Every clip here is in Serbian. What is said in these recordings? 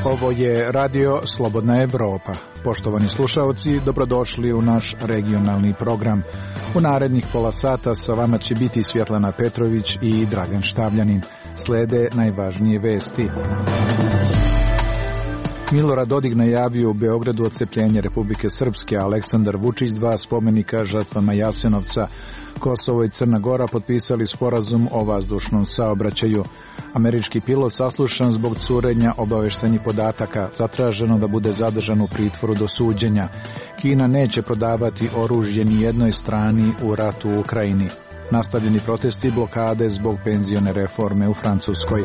Ovo je Radio Slobodna Evropa. Poštovani slušaoci, dobrodošli u naš regionalni program. U narednih pola sata sa vama će biti Svjetlana Petrović i Dragan Štavljanin. Slede najvažnije vesti. Milorad Dodik najavio u Beogradu odcepljenje Republike Srpske, a Aleksandar Vučić 2 spomenika žrtvama Jasenovca. Kosovo i Crna Gora potpisali sporazum o vazdušnom saobraćaju. Američki pilot saslušan zbog curenja obaveštajnih podataka, zatraženo da bude zadržan u pritvoru do suđenja. Kina neće prodavati oružje ni jednoj strani u ratu u Ukrajini. Nastavljeni protesti i blokade zbog penzione reforme u Francuskoj.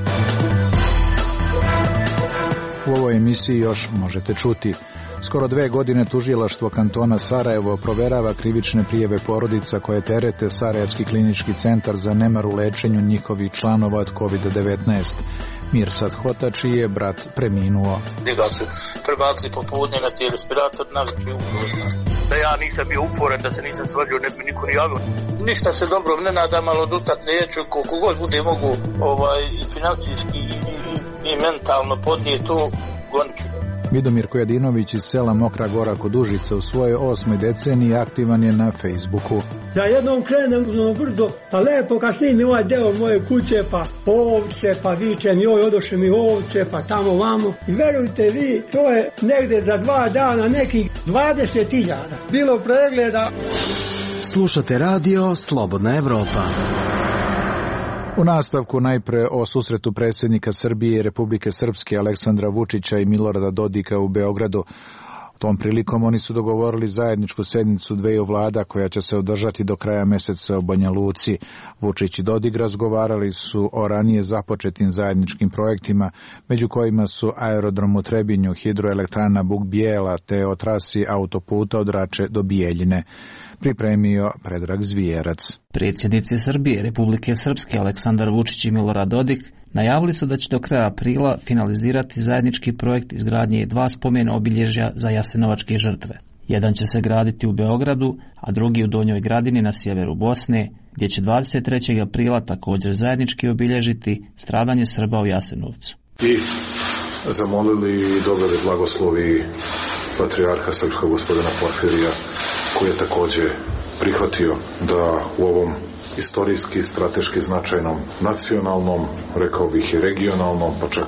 U ovoj emisiji još možete čuti. Skoro 2 godine tužilaštvo kantona Sarajevo proverava krivične prijave porodica koje terete Sarajevski klinički centar za nemar u lečenju njihovih članova od COVID-19. Mirsad Hotači je brat preminuo. Njega su prebacili popodne na te respirator, navikli uporan. Da ja nisam bio uporan, da se nisam svađao, ne bi niko ni javio. Ništa se dobro ne nadam, ali odutat neću, koliko god bude mogu i financijski i mentalno podnije to, gonit ću. Vidomir Kojadinović iz sela Mokra Gora kod Užica u svojoj 8. deceniji aktivan je na Facebooku. Ja jednom krenem na brdo, pa lepo kad snimim ovaj deo moje kuće, pa ovce, pa vičem joj odoše mi ovce, pa tamo vamo. I verujte vi, to je negde za 2 dana nekih 20.000. Bilo pregleda. Slušate radio Slobodna Evropa. U nastavku najpre o susretu predsjednika Srbije i Republike Srpske Aleksandra Vučića i Milorada Dodika u Beogradu. Tom prilikom oni su dogovorili zajedničku sednicu dveju vlada koja će se održati do kraja meseca u Banja Luci. Vučić i Dodik razgovarali su o ranije započetim zajedničkim projektima, među kojima su aerodrom u Trebinju, hidroelektrana Buk Bijela te o trasi autoputa od Rače do Bijeljine. Pripremio Predrag Zvijerac. Predsjednici Srbije, Republike Srpske Aleksandar Vučić i Milorad Dodik najavili su da će do kraja aprila finalizirati zajednički projekt izgradnje 2 spomen obilježja za jasenovačke žrtve. Jedan će se graditi u Beogradu, a drugi u Donjoj Gradini na sjeveru Bosne, gdje će 23. aprila također zajednički obilježiti stradanje Srba u Jasenovcu. I zamolili i dobili blagoslovi patrijarha srpskog gospodina Porfirija, koji je također prihvatio da u ovom istorijski, strateški značajnom, nacionalnom, rekao bih i regionalnom, pa čak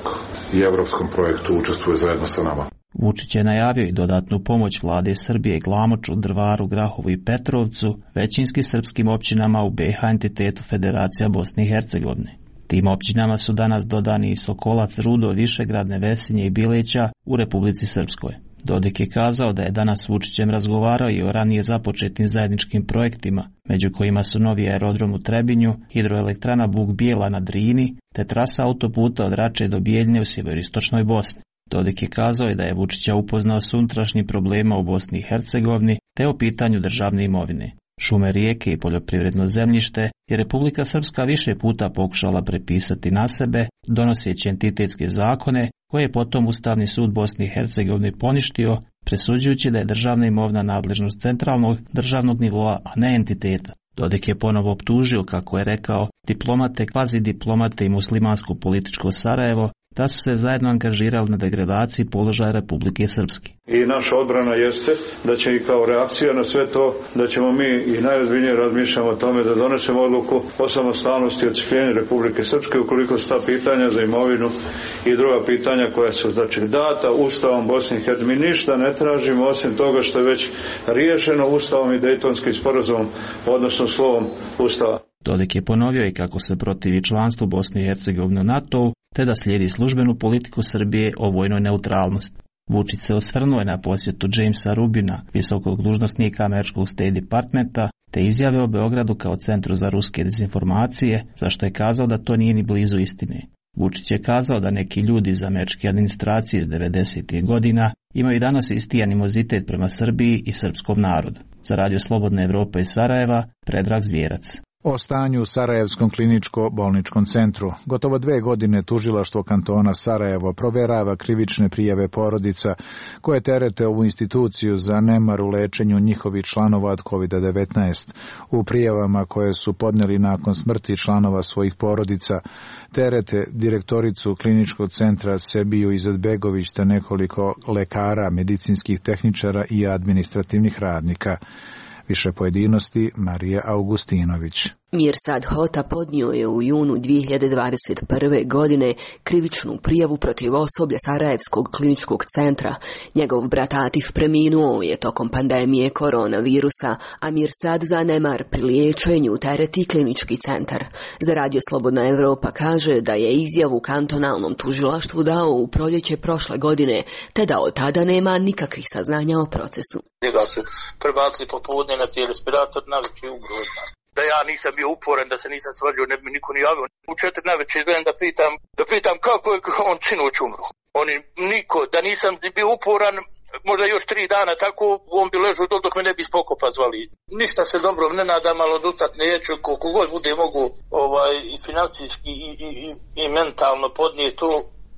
i evropskom projektu učestvuje zajedno sa nama. Vučić je najavio i dodatnu pomoć vlade Srbije Glamoču, Drvaru, Grahovu i Petrovcu, većinski srpskim općinama u BiH entitetu Federacija Bosne i Hercegovine. Tim općinama su danas dodani i Sokolac, Rudo, Višegrad, Nevesinje i Bileća u Republici Srpskoj. Dodik je kazao da je danas s Vučićem razgovarao i o ranije započetim zajedničkim projektima, među kojima su novi aerodrom u Trebinju, hidroelektrana Buk Bijela na Drini, te trasa autoputa od Rače do Bijeljine u sjeveroistočnoj Bosni. Dodik je kazao i da je Vučića upoznao s unutrašnjim problema u Bosni i Hercegovini, te o pitanju državne imovine. Šume, rijeke i poljoprivredno zemljište je Republika Srpska više puta pokušala prepisati na sebe, donoseći entitetske zakone, koje je potom Ustavni sud Bosne i Hercegovine poništio, presuđujući da je državna imovina nadležnost centralnog državnog nivoa, a ne entiteta. Dodik je ponovo optužio, kako je rekao, diplomate, kvazi diplomate i muslimansko političko Sarajevo, da su se zajedno angažirali na degradaciji položaja Republike Srpske. I naša odbrana jeste da će i kao reakcija na sve to, da ćemo mi i najozbiljnije razmišljamo o tome da donesemo odluku o samostalnosti i odcepljenju Republike Srpske ukoliko su ta pitanja za imovinu i druga pitanja koja su data Ustavom Bosne i Hercegovine. Mi ništa ne tražimo osim toga što je već riješeno Ustavom i Dejtonskim sporazumom, odnosno slovom Ustava. Dodik je ponovio i kako se protivi članstvu Bosne i Hercegovine u NATO-u, te da slijedi službenu politiku Srbije o vojnoj neutralnosti. Vučić se osvrnuo na posjetu Jamesa Rubina, visokog dužnosnika američkog State Departmenta, te izjave o Beogradu kao centru za ruske dezinformacije, za što je kazao da to nije ni blizu istine. Vučić je kazao da neki ljudi iz američke administracije iz 90. godina imaju danas isti animozitet prema Srbiji i srpskom narodu. Za Radio Slobodna Evropa iz Sarajeva, Predrag Zvijerac. O stanju u Sarajevskom kliničko-bolničkom centru. Gotovo 2 godine tužilaštvo kantona Sarajevo proverava krivične prijave porodica koje terete ovu instituciju za nemar u lečenju njihovih članova od COVID-19. U prijavama koje su podneli nakon smrti članova svojih porodica terete direktoricu kliničkog centra Sebiju Izetbegović te nekoliko lekara, medicinskih tehničara i administrativnih radnika. Više pojedinosti Marija Augustinović. Mirsad Hota podnio je u junu 2021. godine krivičnu prijavu protiv osoblja Sarajevskog kliničkog centra. Njegov brat Atif preminuo je tokom pandemije koronavirusa, a Mirsad za nemar pri liječenju tereti klinički centar. Za Radio Slobodna Evropa kaže da je izjavu kantonalnom tužilaštvu dao u proljeće prošle godine, te da od tada nema nikakvih saznanja o procesu. Njega su prebacili popodne na respirator, navečer ugrozna. Da ja nisam bio uporan, da se nisam svađao, ne bi mi niko ni javio. U 4 navečer idem da pitam kako je on sinoć umro. Niko, da nisam bio uporan, možda još 3 dana tako, on bi ležao dok me ne bi spokopa zvali. Ništa se dobro ne nadam, ali oducat neću, koliko god bude mogu i financijski i mentalno podnijeti to,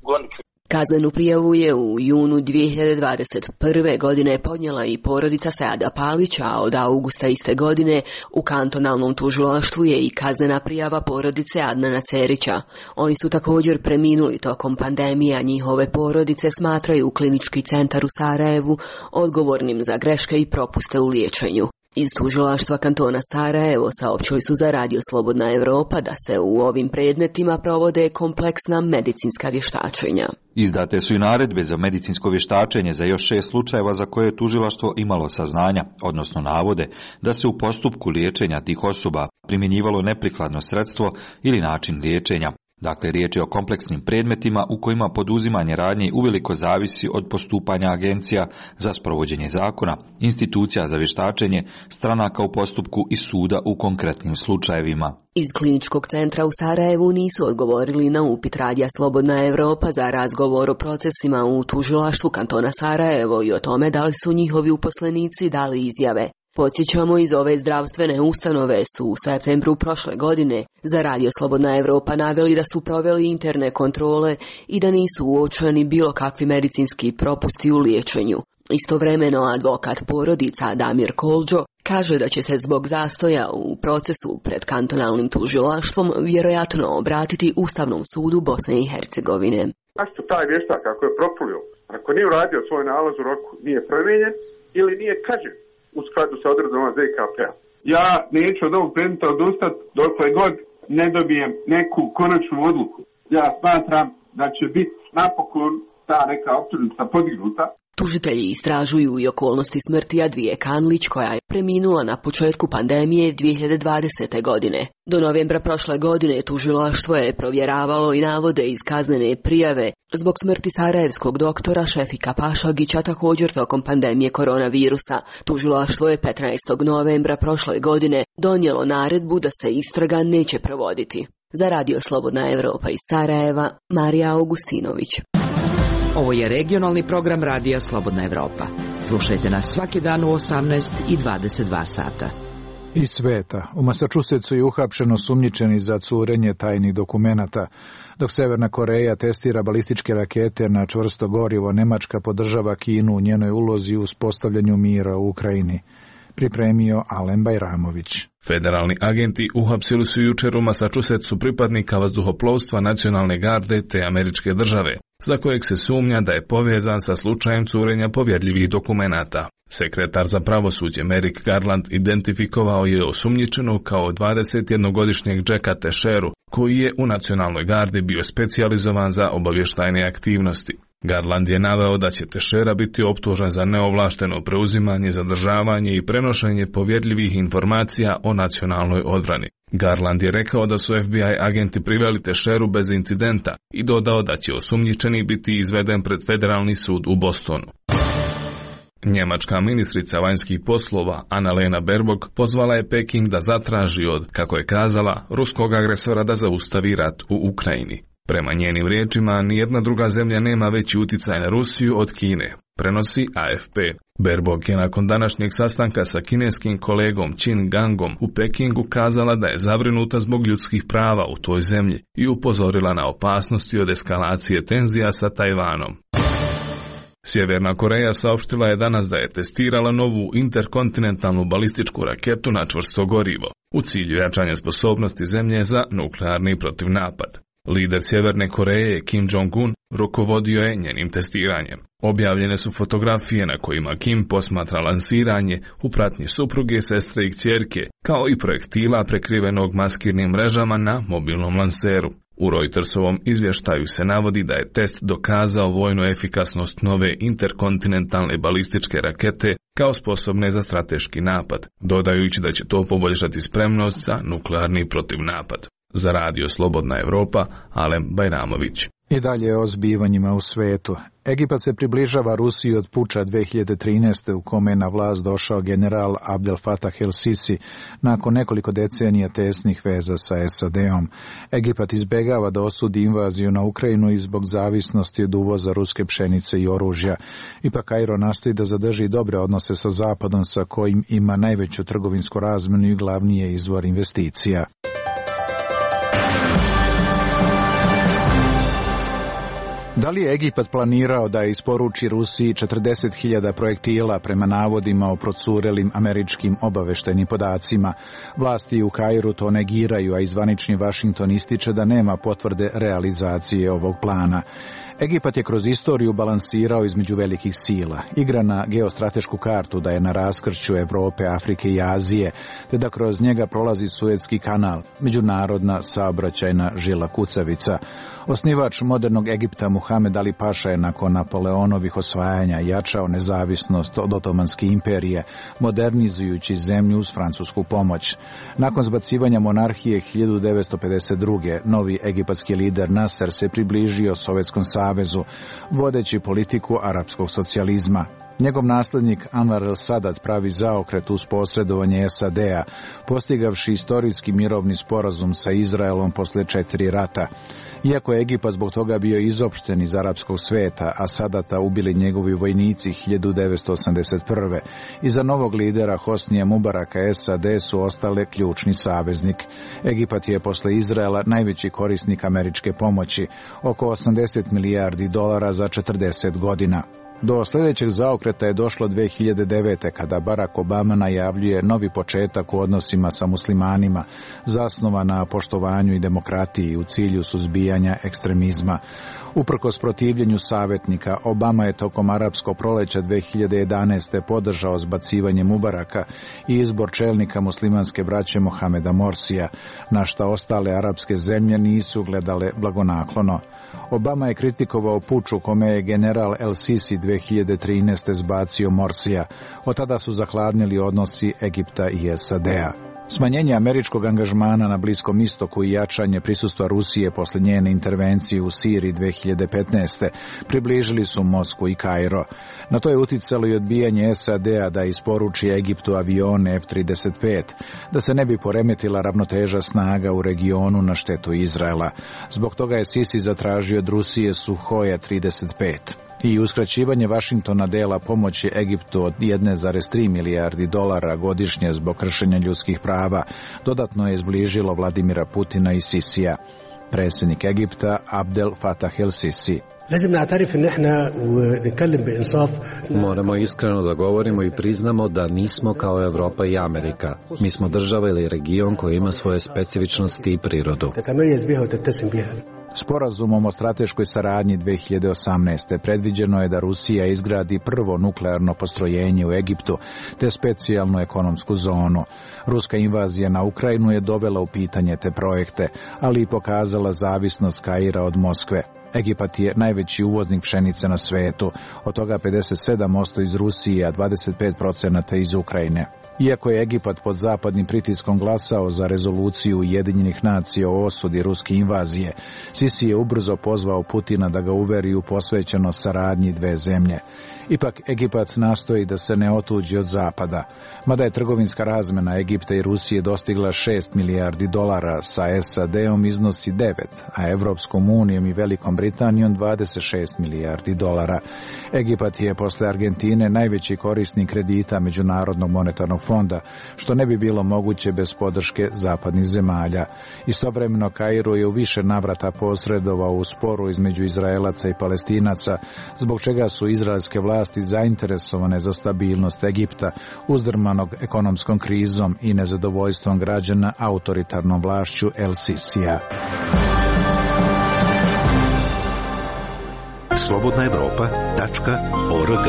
gonit ću. Kaznenu prijavu je u junu 2021. godine podnijela i porodica Seada Palića, a od augusta iste godine u kantonalnom tužilaštvu je i kaznena prijava porodice Adnana Cerića. Oni su također preminuli tokom pandemije, a njihove porodice smatraju klinički centar u Sarajevu odgovornim za greške i propuste u liječenju. Iz tužilaštva kantona Sarajevo saopćili su za Radio Slobodna Evropa da se u ovim predmetima provode kompleksna medicinska vještačenja. Izdate su i naredbe za medicinsko vještačenje za još 6 slučajeva za koje je tužilaštvo imalo saznanja, odnosno navode da se u postupku liječenja tih osoba primjenjivalo neprikladno sredstvo ili način liječenja. Dakle, riječ je o kompleksnim predmetima u kojima poduzimanje radnji uveliko zavisi od postupanja agencija za sprovođenje zakona, institucija za vještačenje, stranaka u postupku i suda u konkretnim slučajevima. Iz kliničkog centra u Sarajevu nisu odgovorili na upit Radija Slobodna Evropa za razgovor o procesima u tužilaštvu kantona Sarajevo i o tome da li su njihovi uposlenici dali izjave. Podsjećamo, iz ove zdravstvene ustanove su u septembru prošle godine za Radio Slobodna Evropa naveli da su proveli interne kontrole i da nisu uočeni bilo kakvi medicinski propusti u liječenju. Istovremeno advokat porodica Damir Kolđo kaže da će se zbog zastoja u procesu pred kantonalnim tužilaštvom vjerojatno obratiti Ustavnom sudu Bosne i Hercegovine. Zašto taj vještak ako je propulio, ako nije uradio svoj nalaz u roku, nije promijenjen ili nije kažnjen u skladu sa odredbama ZKP-a? Ja neću od ovog predmeta odustati dokle god ne dobijem neku konačnu odluku. Ja smatram da će biti napokon ta neka optužnica podignuta. Tužitelji istražuju i okolnosti smrti Advije Kanlić, koja je preminula na početku pandemije 2020. godine. Do novembra prošle godine tužilaštvo je provjeravalo i navode iz kaznene prijave zbog smrti sarajevskog doktora Šefika Pašagića također tokom pandemije koronavirusa. Tužilaštvo je 15. novembra prošle godine donijelo naredbu da se istraga neće provoditi. Za Radio Slobodna Evropa iz Sarajeva, Marija Augustinović. Ovo je regionalni program Radija Slobodna Evropa. Slušajte nas svaki dan u 18 i 22 sata. Iz sveta. U Massachusettsu je uhapšeno sumnjičeni za curenje tajnih dokumenata. Dok Severna Koreja testira balističke rakete na čvrsto gorivo, Nemačka podržava Kinu u njenoj ulozi u uspostavljanju mira u Ukrajini. Pripremio Alen Bajramović. Federalni agenti uhapsili su jučer u Massachusettsu pripadnika vazduhoplovstva nacionalne garde te američke države, za kojeg se sumnja da je povezan sa slučajem curenja povjerljivih dokumenata. Sekretar za pravosuđe Merrick Garland identifikovao je osumnjičenog kao 21-godišnjeg Jacka Teixeiru, koji je u nacionalnoj gardi bio specijalizovan za obavještajne aktivnosti. Garland je naveo da će Teixeira biti optužen za neovlašteno preuzimanje, zadržavanje i prenošenje povjerljivih informacija o nacionalnoj odbrani. Garland je rekao da su FBI agenti priveli Teixeiru bez incidenta i dodao da će osumnjičeni biti izveden pred federalni sud u Bostonu. Njemačka ministrica vanjskih poslova Annalena Baerbock pozvala je Peking da zatraži od, kako je kazala, ruskog agresora da zaustavi rat u Ukrajini. Prema njenim riječima, nijedna druga zemlja nema veći uticaj na Rusiju od Kine. prenosi AFP. Baerbock je nakon današnjeg sastanka sa kineskim kolegom Qin Gangom u Pekingu kazala da je zabrinuta zbog ljudskih prava u toj zemlji i upozorila na opasnosti od eskalacije tenzija sa Tajvanom. Sjeverna Koreja saopštila je danas da je testirala novu interkontinentalnu balističku raketu na čvrsto gorivo, u cilju jačanja sposobnosti zemlje za nuklearni protivnapad. Lider Sjeverne Koreje Kim Jong-un rukovodio je njenim testiranjem. Objavljene su fotografije na kojima Kim posmatra lansiranje u pratnji supruge, sestre i kćerke, kao i projektila prekrivenog maskirnim mrežama na mobilnom lanseru. U Reutersovom izvještaju se navodi da je test dokazao vojnu efikasnost nove interkontinentalne balističke rakete kao sposobne za strateški napad, dodajući da će to poboljšati spremnost za nuklearni protivnapad. Za Radio Slobodna Evropa, Alem Bajramović. I dalje o zbivanjima u svetu. Egipat se približava Rusiji od puča 2013. u kome je na vlast došao general Abdel Fattah el-Sisi nakon nekoliko decenija tesnih veza sa SAD-om. Egipat izbegava da osudi invaziju na Ukrajinu i zbog zavisnosti od uvoza ruske pšenice i oružja. Ipak Kairo nastoji da zadrži dobre odnose sa Zapadom, sa kojim ima najveću trgovinsku razmenu i glavni je izvor investicija. Da li je Egipat planirao da isporuči Rusiji 40.000 projektila prema navodima o procurelim američkim obaveštajnim podacima? Vlasti u Kairu to negiraju, a zvanični Vašington ističe da nema potvrde realizacije ovog plana. Egipat je kroz istoriju balansirao između velikih sila, igra na geostratešku kartu da je na raskršću Evrope, Afrike i Azije, te da kroz njega prolazi Suetski kanal, međunarodna saobraćajna žila kucavica. Osnivač modernog Egipta Muhamed Ali Paša je nakon Napoleonovih osvajanja jačao nezavisnost od Otomanske imperije, modernizujući zemlju uz francusku pomoć. Nakon zbacivanja monarhije 1952. novi egipatski lider Nasser se približio Sovjetskom savezu, vodeći politiku arapskog socijalizma. Njegov naslednik Anwar el-Sadat pravi zaokret uz posredovanje SAD-a, postigavši istorijski mirovni sporazum sa Izraelom posle 4 rata. Iako je Egipat zbog toga bio izopšten iz arapskog sveta, a Sadata ubili njegovi vojnici 1981. Iza novog lidera Hosnija Mubaraka SAD su ostale ključni saveznik. Egipat je posle Izraela najveći korisnik američke pomoći, oko $80 milijardi za 40 godina. Do sljedećeg zaokreta je došlo 2009. kada Barack Obama najavljuje novi početak u odnosima sa muslimanima, zasnovan na poštovanju i demokratiji u cilju suzbijanja ekstremizma. Uprkos protivljenju savjetnika, Obama je tokom arapskog proleća 2011. podržao zbacivanje Mubaraka i izbor čelnika muslimanske braće Mohameda Morsija, na šta ostale arapske zemlje nisu gledale blagonaklono. Obama je kritikovao puč u kome je general el-Sisi 2013. zbacio Morsija. Od tada su zahladnili odnosi Egipta i SAD-a. Smanjenje američkog angažmana na Bliskom istoku i jačanje prisustva Rusije posle njene intervencije u Siriji 2015. približili su Moskvu i Kairo. Na to je uticalo i odbijanje SAD-a da isporuči Egiptu avione F-35, da se ne bi poremetila ravnoteža snaga u regionu na štetu Izraela. Zbog toga je Sisi zatražio od Rusije Suhoja 35. I uskraćivanje Vašingtona dela pomoći Egiptu od $1,3 milijardi godišnje zbog kršenja ljudskih prava dodatno je izbližilo Vladimira Putina i Sisija. Predsjednik Egipta Abdel Fattah el-Sisi. Moramo iskreno da govorimo i priznamo da nismo kao Evropa i Amerika. Mi smo država ili region koji ima svoje specifičnosti i prirodu. Sporazumom o strateškoj saradnji 2018. predviđeno je da Rusija izgradi prvo nuklearno postrojenje u Egiptu te specijalnu ekonomsku zonu. Ruska invazija na Ukrajinu je dovela u pitanje te projekte, ali i pokazala zavisnost Kaira od Moskve. Egipat je najveći uvoznik pšenice na svetu, od toga 57% iz Rusije, a 25% iz Ukrajine. Iako je Egipat pod zapadnim pritiskom glasao za rezoluciju Ujedinjenih nacija o osudi ruske invazije, Sisi je ubrzo pozvao Putina da ga uveri u posvećenost saradnji dve zemlje. Ipak Egipat nastoji da se ne otuđi od zapada. Mada je trgovinska razmena Egipta i Rusije dostigla 6 milijardi dolara, sa SAD-om iznosi 9, a Evropskom unijom i Velikom Britanijom 26 milijardi dolara. Egipat je posle Argentine najveći korisnik kredita Međunarodnog monetarnog fonda, što ne bi bilo moguće bez podrške zapadnih zemalja. Istovremeno Kairo je u više navrata posredovao u sporu između Izraelaca i Palestinaca, zbog čega su izraelske vlasti zainteresovane za stabilnost Egipta, uzdrmanog ekonomskom krizom i nezadovoljstvom građana autoritarnom vlašću El Sisija. slobodnaevropa.org.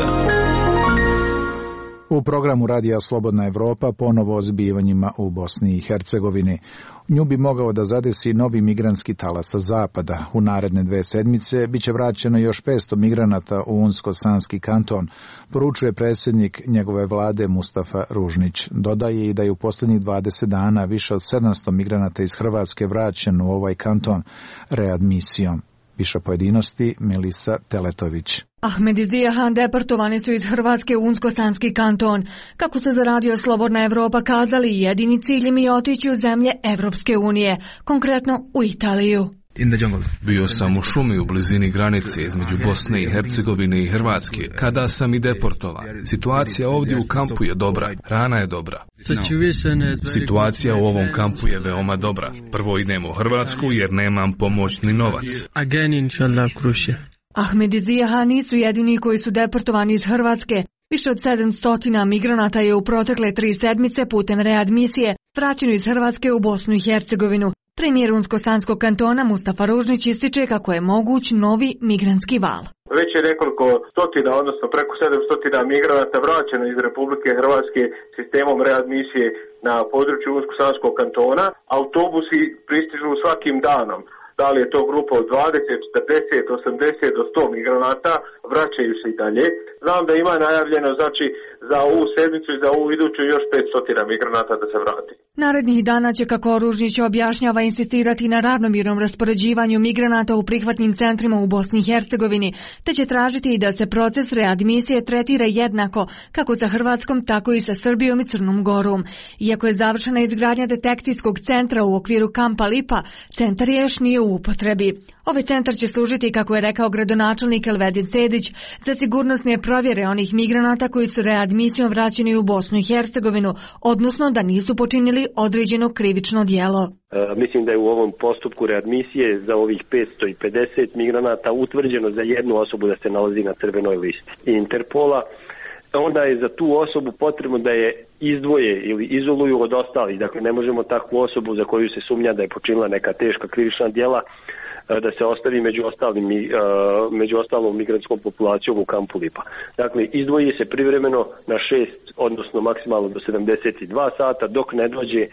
U programu Radija Slobodna Evropa ponovo o zbivanjima u Bosni i Hercegovini. Nju bi mogao da zadesi novi migrantski talas sa zapada. U naredne 2 sedmice biće vraćeno još 500 migranata u Unsko-Sanski kanton, poručuje predsjednik njegove vlade Mustafa Ružnić. Dodaje i da je u posljednjih 20 dana više od 700 migranata iz Hrvatske vraćeno u ovaj kanton readmisijom. Više pojedinosti Melisa Teletović. Ahmed i Zijahan deportovani su iz Hrvatske u Unsko-Sanski kanton. Kako su za Radio Slobodna Evropa kazali, jedini cilj im je otići u zemlje Evropske unije, konkretno u Italiju. Bio sam u šumi u blizini granice između Bosne i Hercegovine i Hrvatske, kada sam i deportovan. Situacija ovdje u kampu je dobra, hrana je dobra. Situacija u ovom kampu je veoma dobra. Prvo idem u Hrvatsku jer nemam pomoć ni novac. Ahmed i Zijahan nisu jedini koji su deportovani iz Hrvatske. Više od 700 migranata je u protekle 3 sedmice putem readmisije vraćeno iz Hrvatske u Bosnu i Hercegovinu. Premijer Unsko-Sanskog kantona Mustafa Ružnić ističe kako je moguć novi migrantski val. Već je nekoliko stotina, odnosno preko 700 migranata vraćeno iz Republike Hrvatske sistemom readmisije na području Unsko-Sanskog kantona. Autobusi pristižu svakim danom. Da li je to grupa od 20, 40, 80 do 100 migranata, vraćaju se i dalje. Znam da ima najavljeno, znači, za ovu sedmicu i za ovu iduću još 500 migranata da se vrati. Narednih dana će, kako Ružnić objašnjava, insistirati na ravnomjernom raspoređivanju migranata u prihvatnim centrima u Bosni i Hercegovini, te će tražiti i da se proces readmisije tretira jednako, kako sa Hrvatskom, tako i sa Srbijom i Crnom Gorom. Iako je završena izgradnja detekcijskog centra u okviru kampa Lipa, centar još nije u upotrebi. Ovaj centar će služiti, kako je rekao gradonačelnik Elvedin Sedić, za sigurnosne provjere onih migranata koji su readmisijom vraćeni u Bosnu i Hercegovinu, odnosno da nisu počinili određeno krivično djelo. Mislim da je u ovom postupku readmisije za ovih 550 migranata utvrđeno za jednu osobu da se nalazi na crvenoj listi Interpola. Onda je za tu osobu potrebno da je izdvoje ili izoluju od ostalih. Dakle, ne možemo takvu osobu za koju se sumnja da je počinila neka teška krivična djela da se ostavi među ostalom migrantskom populacijom u kampu Lipa. Dakle, izdvoji se privremeno na 6, odnosno maksimalno do 72 sata, dok ne dođe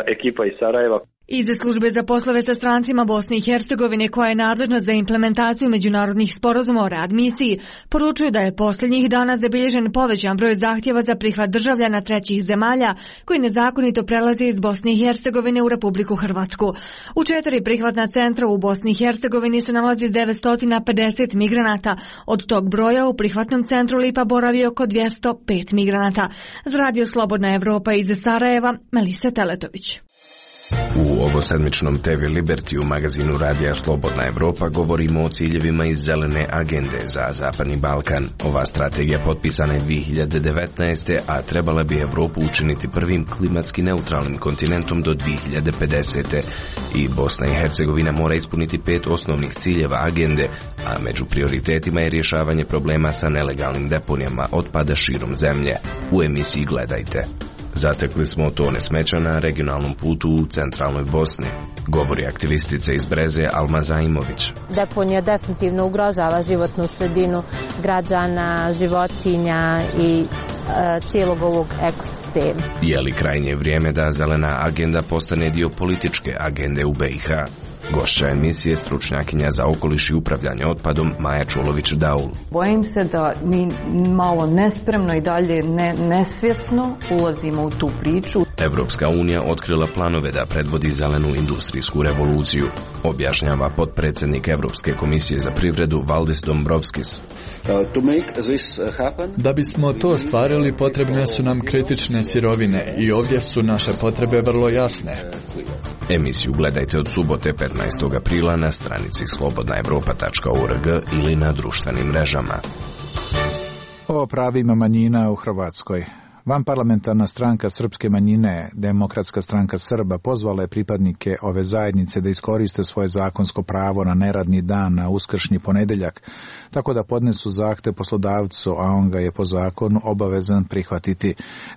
ekipa iz Sarajeva. Iz službe za poslove sa strancima Bosne i Hercegovine, koja je nadležna za implementaciju međunarodnih sporazuma o readmisiji, poručuju da je posljednjih dana zabilježen povećan broj zahtjeva za prihvat državljana trećih zemalja koji nezakonito prelaze iz Bosne i Hercegovine u Republiku Hrvatsku. U 4 prihvatna centra u Bosni i Hercegovini se nalazi 950 migranata. Od tog broja u prihvatnom centru Lipa boravi oko 205 migranata. Za Radio Slobodna Evropa iz Sarajeva, Melisa Teletović. U ovosedmičnom TV Liberty u magazinu Radija Slobodna Evropa govorimo o ciljevima iz zelene agende za Zapadni Balkan. Ova strategija potpisana je 2019. a trebala bi Evropu učiniti prvim klimatski neutralnim kontinentom do 2050. I Bosna i Hercegovina mora ispuniti 5 osnovnih ciljeva agende, a među prioritetima je rješavanje problema sa nelegalnim deponijama otpada širom zemlje. U emisiji gledajte. Zatekli smo tone smeća na regionalnom putu u centralnoj Bosni, govori aktivistica iz Breze Alma Zaimović. Deponija definitivno ugrožava životnu sredinu građana, životinja i cijelog ovog ekosistema. Je li krajnje vrijeme da zelena agenda postane dio političke agende u BiH? Gošća emisije, stručnjakinja za okoliš i upravljanje otpadom Maja Čulović-Daul. Bojim se da mi malo nespremno i dalje nesvjesno ulazimo u tu priču. Evropska unija otkrila planove da predvodi zelenu industrijsku revoluciju, objašnjava potpredsjednik Evropske komisije za privredu Valdis Dombrovskis. Da bismo to ostvarili, potrebne su nam kritične sirovine i ovdje su naše potrebe vrlo jasne. Emisiju gledajte od subote 15. aprila na stranici slobodnaevropa.org ili na društvenim mrežama. O pravima manjina u Hrvatskoj. Vanparlamentarna stranka srpske manjine, Demokratska stranka Srba, pozvala je pripadnike ove zajednice da iskoriste svoje zakonsko pravo na neradni dan na uskršnji ponedeljak, tako da podnesu zahtev poslodavcu, a on ga je po zakonu obavezan prihvatiti.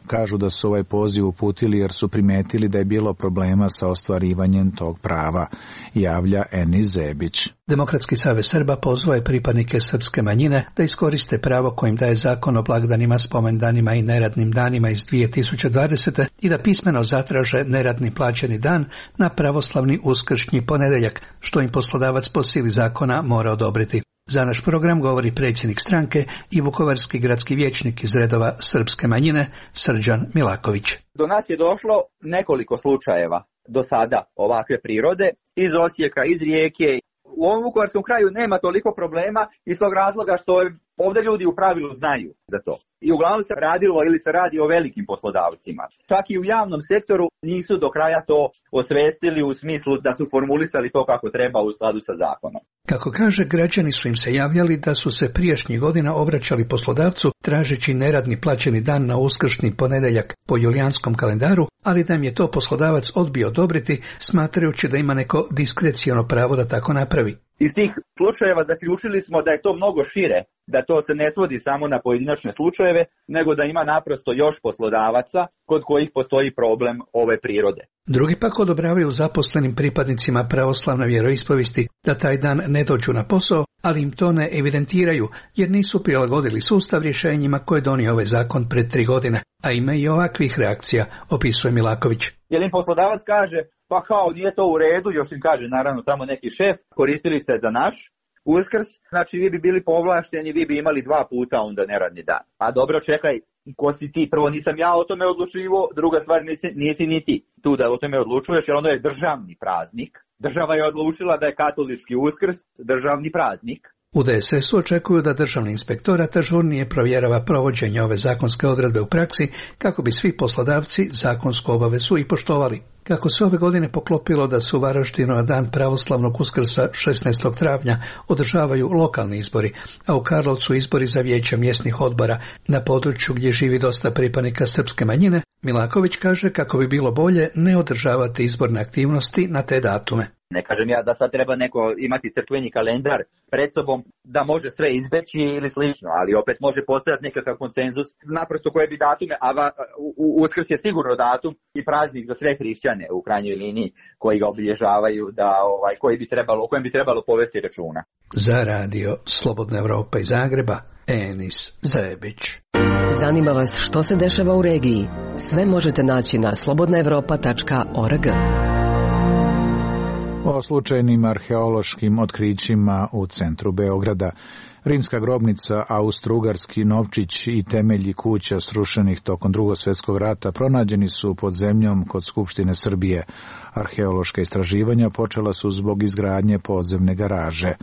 Kažu da su ovaj poziv uputili jer su primetili da je bilo problema sa ostvarivanjem tog prava, javlja Enis Zebić. Demokratski savez Srba pozvao je pripadnike srpske manjine da iskoriste pravo kojim daje zakon o blagdanima, spomendanima i neradnim danima iz 2020. i da pismeno zatraže neradni plaćeni dan na pravoslavni uskršnji ponedeljak, što im poslodavac po sili zakona mora odobriti. Za naš program govori predsjednik stranke i vukovarski gradski vijećnik iz redova srpske manjine Srđan Milaković. Do nas je došlo nekoliko slučajeva do sada ovakve prirode iz Osijeka, iz Rijeke. U ovom vukovarskom kraju nema toliko problema iz tog razloga što ovdje ljudi u pravilu znaju za to. I uglavnom se radilo ili se radi o velikim poslodavcima. Čak i u javnom sektoru nisu do kraja to osvestili u smislu da su formulisali to kako treba u skladu sa zakonom. Kako kaže, građani su im se javljali da su se prijašnjih godina obraćali poslodavcu tražeći neradni plaćeni dan na uskršnji ponedeljak po julijanskom kalendaru, ali da im je to poslodavac odbio odobriti, smatrajući da ima neko diskreciono pravo da tako napravi. Iz tih slučajeva zaključili smo da je to mnogo šire, da to se ne svodi samo na pojedinačne slučajeve, nego da ima naprosto još poslodavaca kod kojih postoji problem ove prirode. Drugi pak odobravaju zaposlenim pripadnicima pravoslavne vjeroispovesti da taj dan ne dođu na posao, ali im to ne evidentiraju jer nisu prilagodili sustav rješenjima koje je donio ovaj zakon pred 3 godine, a ima i ovakvih reakcija, opisuje Milaković. Jer im poslodavac kaže, pa kao nije to u redu, još im kaže naravno tamo neki šef, koristili ste za naš Uskrs, znači vi bi bili povlašteni, vi bi imali 2 puta onda neradni dan. A dobro, čekaj, ko si ti? Prvo, nisam ja o tome odlučivo, druga stvar, nisi ni ti tu da o tome odlučuješ, jer ono je državni praznik. Država je odlučila da je katolički Uskrs državni praznik. U DSS-u očekuju da državni inspektorat ažurnije provjerava provođenje ove zakonske odredbe u praksi kako bi svi poslodavci zakonsku obavezu i poštovali. Kako se ove godine poklopilo da se u Varaždinu na dan pravoslavnog Uskrsa 16. travnja održavaju lokalni izbori, a u Karlovcu izbori za vijeće mjesnih odbora na području gdje živi dosta pripadnika srpske manjine, Milaković kaže kako bi bilo bolje ne održavati izborne aktivnosti na te datume. Ne kažem ja da sad treba neko imati crkveni kalendar pred sobom da može sve izbeći ili slično, ali opet može postojati nekakav konsenzus naprosto koje bi datume, a Uskrs je sigurno datum i praznik za sve hrišćane u krajnjoj liniji koji ga obilježavaju, da o kojem bi trebalo povesti računa. Za radio Slobodna Evropa iz Zagreba, Enis Zebić. Zanima vas što se dešava u regiji? Sve možete naći na slobodnaevropa.org. O slučajnim arheološkim otkrićima u centru Beograda. Rimska grobnica, austrougarski novčić i temelji kuća srušenih tokom Drugog svjetskog rata pronađeni su pod zemljom kod Skupštine Srbije. Arheološka istraživanja počela su zbog izgradnje podzemne garaže,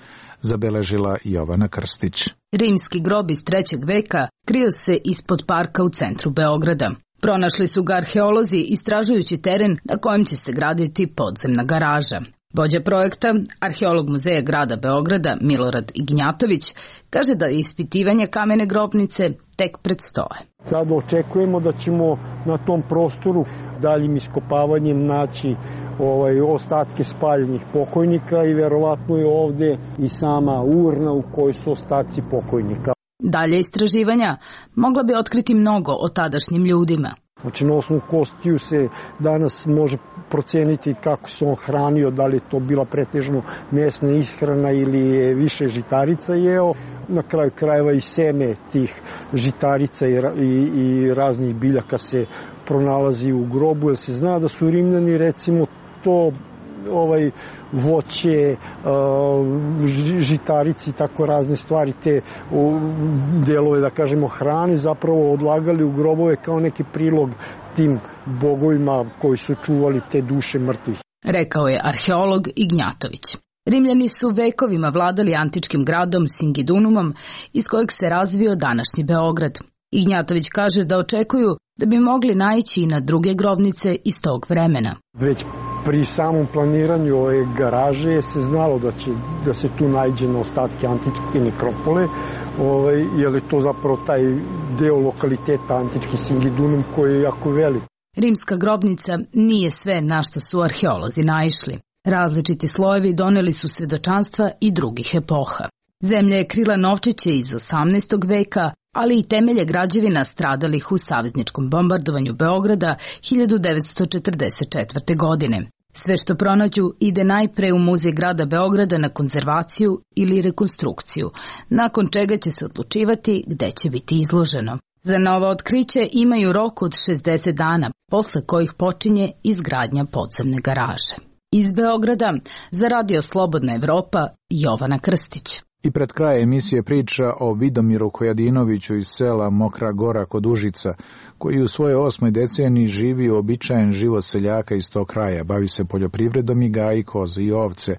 zabeležila Jovana Krstić. Rimski grob iz 3. veka krio se ispod parka u centru Beograda. Pronašli su ga arheolozi istražujući teren na kojem će se graditi podzemna garaža. Vođa projekta, arheolog muzeja grada Beograda Milorad Ignjatović, kaže da ispitivanje kamene grobnice tek predstoje. Sad očekujemo da ćemo na tom prostoru daljim iskopavanjem naći ostatke spaljenih pokojnika i verovatno je ovdje i sama urna u kojoj su ostaci pokojnika. Dalje istraživanja mogla bi otkriti mnogo o tadašnjim ljudima. Znači na osnovu kostiju se danas može proceniti kako se on hranio, da li je to bila pretežno mesna ishrana ili je više žitarica jeo. Na kraju krajeva i seme tih žitarica i raznih biljaka se pronalazi u grobu, jer se zna da su Rimljani recimo to voće, žitarici, tako razne stvari, te delove, da kažemo, hrane, zapravo odlagali u grobove kao neki prilog tim bogovima koji su čuvali te duše mrtvih. Rekao je arheolog Ignjatović. Rimljani su vekovima vladali antičkim gradom Singidunumom, iz kojeg se razvio današnji Beograd. Ignjatović kaže da očekuju da bi mogli naići i na druge grobnice iz tog vremena. Već pri samom planiranju ove garaže se znalo da se tu nađe na ostatke antičke nekropole, jer je to zapravo taj deo lokaliteta antički Singidunum koji je jako velik. Rimska grobnica nije sve na što su arheolozi naišli. Različiti slojevi doneli su svedočanstva i drugih epoha. Zemlja je krila novčiće iz 18. veka, ali i temelje građevina stradalih u savezničkom bombardovanju Beograda 1944. godine. Sve što pronađu ide najpre u Muzej grada Beograda na konzervaciju ili rekonstrukciju, nakon čega će se odlučivati gde će biti izloženo. Za novo otkriće imaju rok od 60 dana, posle kojih počinje izgradnja podzemne garaže. Iz Beograda za Radio Slobodna Evropa, Jovana Krstić. I pred krajem emisije priča o Vidomiru Kojadinoviću iz sela Mokra Gora kod Užica, koji u svojoj 8. deceniji živi uobičajen život seljaka iz tog kraja, bavi se poljoprivredom i gaji koze i ovce,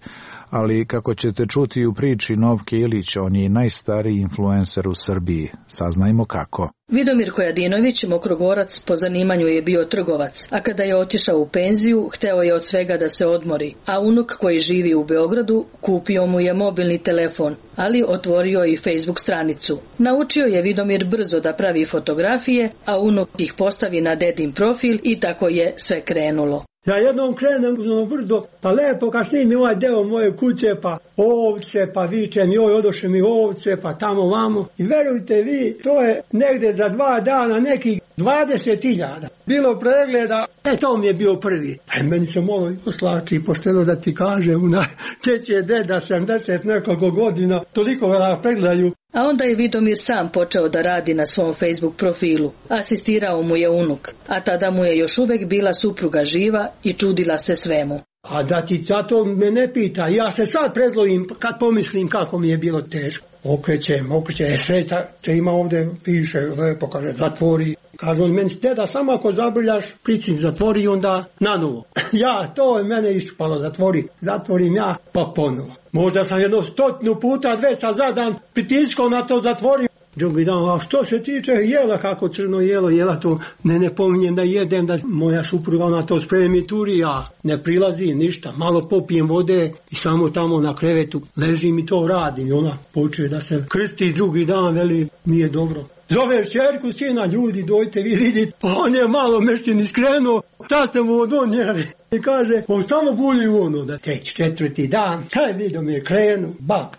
ali kako ćete čuti u priči Novke Ilić, on je najstariji influencer u Srbiji. Saznajmo kako. Vidomir Kojadinović, Mokrogorac, po zanimanju je bio trgovac, a kada je otišao u penziju, hteo je od svega da se odmori, a unuk koji živi u Beogradu kupio mu je mobilni telefon, ali otvorio i Facebook stranicu. Naučio je Vidomir brzo da pravi fotografije, a unuk ih postavi na dedin profil i tako je sve krenulo. Ja jednom krenem u brdo, pa lepo kad snimim ovaj deo moje kuće, pa ovce, pa vičem, joj, odoše mi ovce, pa tamo vamo. I verujte vi, to je negde za 2 dana nekih 20.000. Bilo pregleda, to mi je bio prvi. Pa meni se malo poslači, pošteno da ti kažem, teći je deda 70 nekoliko godina, toliko da pregledaju. A onda je Vidomir sam počeo da radi na svom Facebook profilu. Asistirao mu je unuk, a tada mu je još uvek bila supruga živa i čudila se svemu. A da ti zato me ne pita, ja se sad prezlovim kad pomislim kako mi je bilo teško. Okrećem, sreća će ima ovdje, piše lepo, kaže, zatvori. Kaže on meni, deda, samo ako zabrljaš, pričim, zatvori i onda nanovo. Ja, to je mene iščupalo, zatvorim ja, pa ponovo. Možda sam 100 puta, 200 za dan pritiskao na to zatvorim. Drugi dan, a što se tiče jela, kako crno jela to ne pominjem da jedem, da moja supruga ona to spremi turi, ja ne prilazim ništa, malo popijem vode i samo tamo na krevetu ležim i to radim. I ona počuje da se krsti drugi dan, veli, nije dobro. Zoveš čerku, sina, ljudi, dojte vi vidite, pa on je malo mešćin iskrenuo, šta ste mu odonijeli? I kaže, on samo bulji ono da 3-4 dan, kaj Vidomir krenu,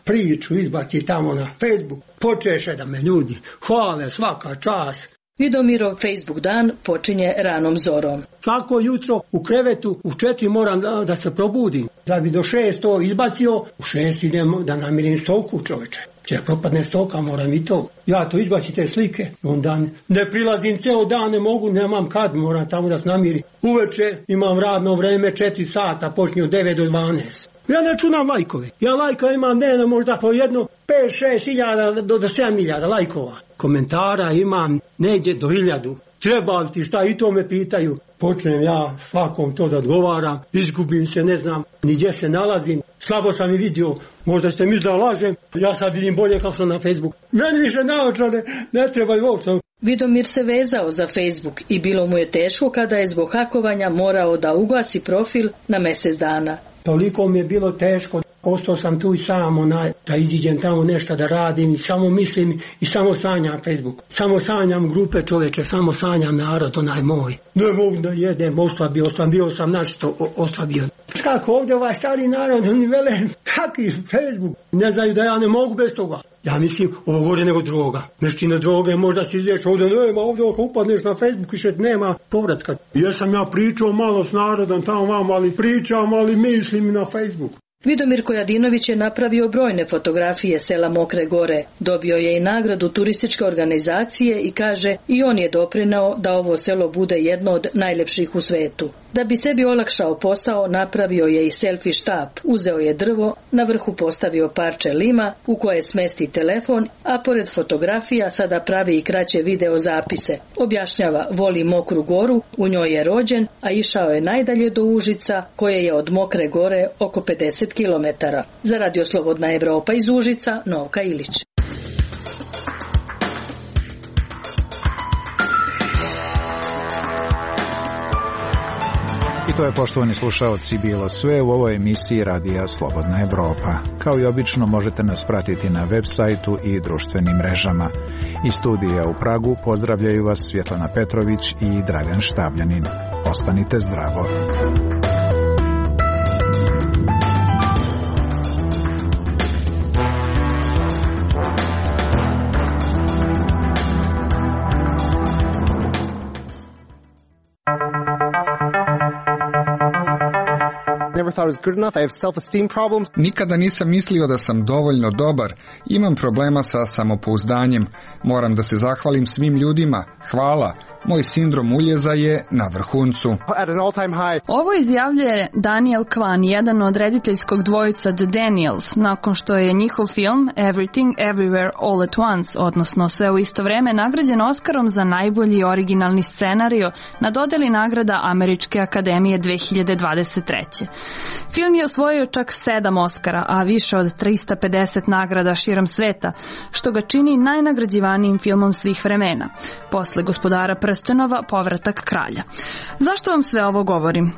priču izbaci tamo na Facebook, počeše da me ljudi hvale svaka čast. Vidomirov Facebook dan počinje ranom zorom. Svako jutro u krevetu u 4 moram da se probudim. Da bi do 6 to izbacio, u 6 idem da namirim stoku, čoveče. Če propadne stoka, moram i to. Ja to izbacim te slike, onda ne prilazim ceo dan, ne mogu, nemam kad, moram tamo da se namirim. Uveče imam radno vreme 4 sata, počinje od 9 do 12. Ja ne čunam lajkove. Ja lajka imam dnevno možda po jedno 5-6 hiljada do 7 hiljada lajkova. Komentara imam negdje do 1000. Treba li ti šta, i to me pitaju. Počnem ja svakom to da odgovaram, izgubim se, ne znam ni gdje se nalazim. Slabo sam i vidio, možda ste mi da lažem, ja sad vidim bolje kako sam na Facebooku. Meni više naočare ne treba i uopšte. Vidomir se vezao za Facebook i bilo mu je teško kada je zbog hakovanja morao da ugasi profil na mjesec dana. Toliko mi je bilo teško, ostao sam tu i sam, da iziđem tamo nešto da radim i samo mislim i samo sanjam Facebook. Samo sanjam grupe čoveče, samo sanjam narod, onaj moj. Ne mogu da jedem, oslabio sam našto oslabio. Kako ovdje ovaj stari narod, oni vele, kakvi Facebook, ne znaju da ja ne mogu bez toga. Ja mislim, ovo gore nego droga. Mešćina droge, možda si izvješ ovdje, nema, ovdje ako upadneš na Facebook više nema povratka. Jesam ja pričao malo s narodom tamo vam, ali pričam, ali mislim na Facebook. Vidomir Kojadinović je napravio brojne fotografije sela Mokre Gore, dobio je i nagradu turističke organizacije i kaže i on je doprineo da ovo selo bude jedno od najlepših u svetu. Da bi sebi olakšao posao, napravio je i selfie štap, uzeo je drvo, na vrhu postavio parče lima u koje smesti telefon, a pored fotografija sada pravi i kraće video zapise. Objašnjava, voli Mokru Goru, u njoj je rođen, a išao je najdalje do Užica, koje je od Mokre Gore oko 50 km. Za Radio Slobodna Evropa iz Užica, Novka Ilić. I to je, poštovani slušaoci, bilo sve u ovoj emisiji Radija Slobodna Evropa. Kao i obično možete nas pratiti na web sajtu i društvenim mrežama. Iz studija u Pragu pozdravljaju vas Svjetlana Petrović i Dragan Štavljanin. Ostanite zdravo. Nikada nisam mislio da sam dovoljno dobar. Imam problema sa samopouzdanjem. Moram da se zahvalim svim ljudima. Hvala. Moj sindrom uljeza je na vrhuncu. Ovo izjavljuje Daniel Kwan, jedan od rediteljskog dvojica The Daniels, nakon što je njihov film Everything Everywhere All at Once, odnosno Sve u isto vreme, nagrađen Oskarom za najbolji originalni scenario na dodeli nagrada Američke akademije 2023. Film je osvojio čak 7 Oskara, a više od 350 nagrada širom sveta, što ga čini najnagrađivanijim filmom svih vremena. Posle Gospodara prstenova, Povratak kralja. Zašto vam sve ovo govorim?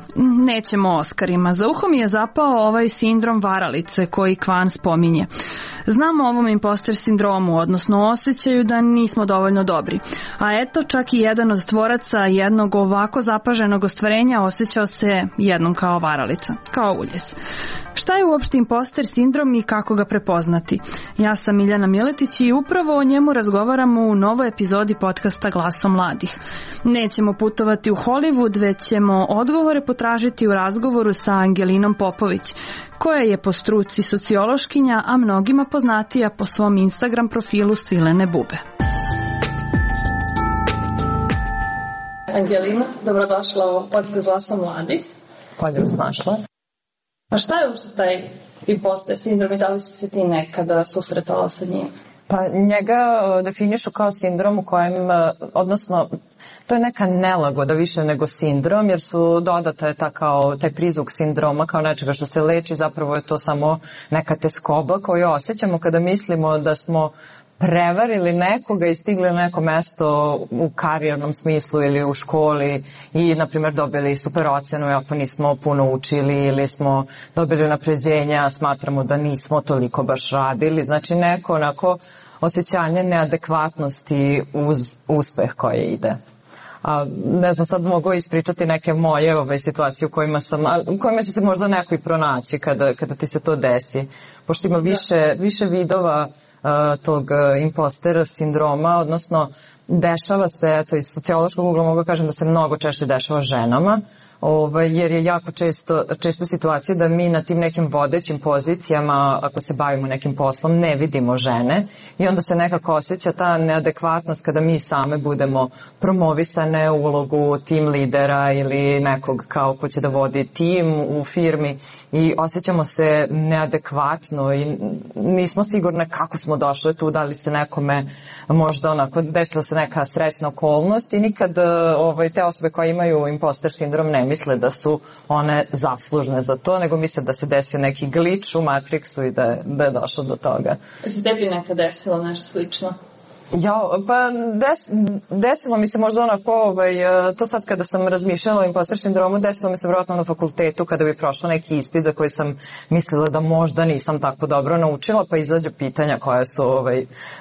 Nećemo o Oskarima. Za uho mi je zapao ovaj sindrom varalice koji Kwan spominje. Znamo o ovom imposter sindromu, odnosno osjećaju da nismo dovoljno dobri. A eto, čak i jedan od tvoraca jednog ovako zapaženog ostvarenja osjećao se jednom kao varalica, kao uljes. Šta je uopšte imposter sindrom i kako ga prepoznati? Ja sam Miljana Miletić i upravo o njemu razgovaramo u novoj epizodi podcasta Glaso mladih. Nećemo putovati u Hollywood, već ćemo odgovore potražiti u razgovoru sa Angelinom Popović, koja je po struci sociološkinja, a mnogima poznatija po svom Instagram profilu Svilene bube. Angelina, dobrodošla u podcast Glaso mladih. Bolje vas našla. A šta je uopšte taj imposter sindrom i da li si se ti nekada susretala sa njim? Pa njega definišu kao sindrom u kojem, odnosno, to je neka nelagoda više nego sindrom, jer su dodata taj prizvuk sindroma kao nečega što se leči, zapravo je to samo neka teskoba koju osjećamo kada mislimo da smo prevarili nekoga i stigli na neko mesto u karijernom smislu ili u školi i, na primjer, dobili super ocenu ako nismo puno učili ili smo dobili unapređenja, smatramo da nismo toliko baš radili. Znači neko onako osjećanje neadekvatnosti uz uspeh koji ide. A, ne znam, sad mogu ispričati neke moje situacije u kojima će se možda neko i pronaći kada ti se to desi. Pošto ima više vidova tog impostera sindroma, odnosno dešava se, to iz sociološkog ugla mogu kažem da se mnogo češće dešava ženama, jer je jako često situacija da mi na tim nekim vodećim pozicijama, ako se bavimo nekim poslom, ne vidimo žene i onda se nekako osjeća ta neadekvatnost kada mi same budemo promovisane u ulogu tim lidera ili nekog kao ko će da vodi tim u firmi i osjećamo se neadekvatno i nismo sigurne kako smo došle tu, da li se nekome možda onako desila se neka srećna okolnost i nikad te osobe koje imaju imposter sindrom ne misle da su one zaslužne za to, nego misle da se desio neki glič u Matrixu i da je došlo do toga. Se tebi nekad desilo nešto slično? Pa desilo mi se možda onako, to sad kada sam razmišljala o imposter sindromu, desilo mi se vjerojatno na fakultetu kada bi prošla neki ispit za koji sam mislila da možda nisam tako dobro naučila, pa izađu pitanja koja su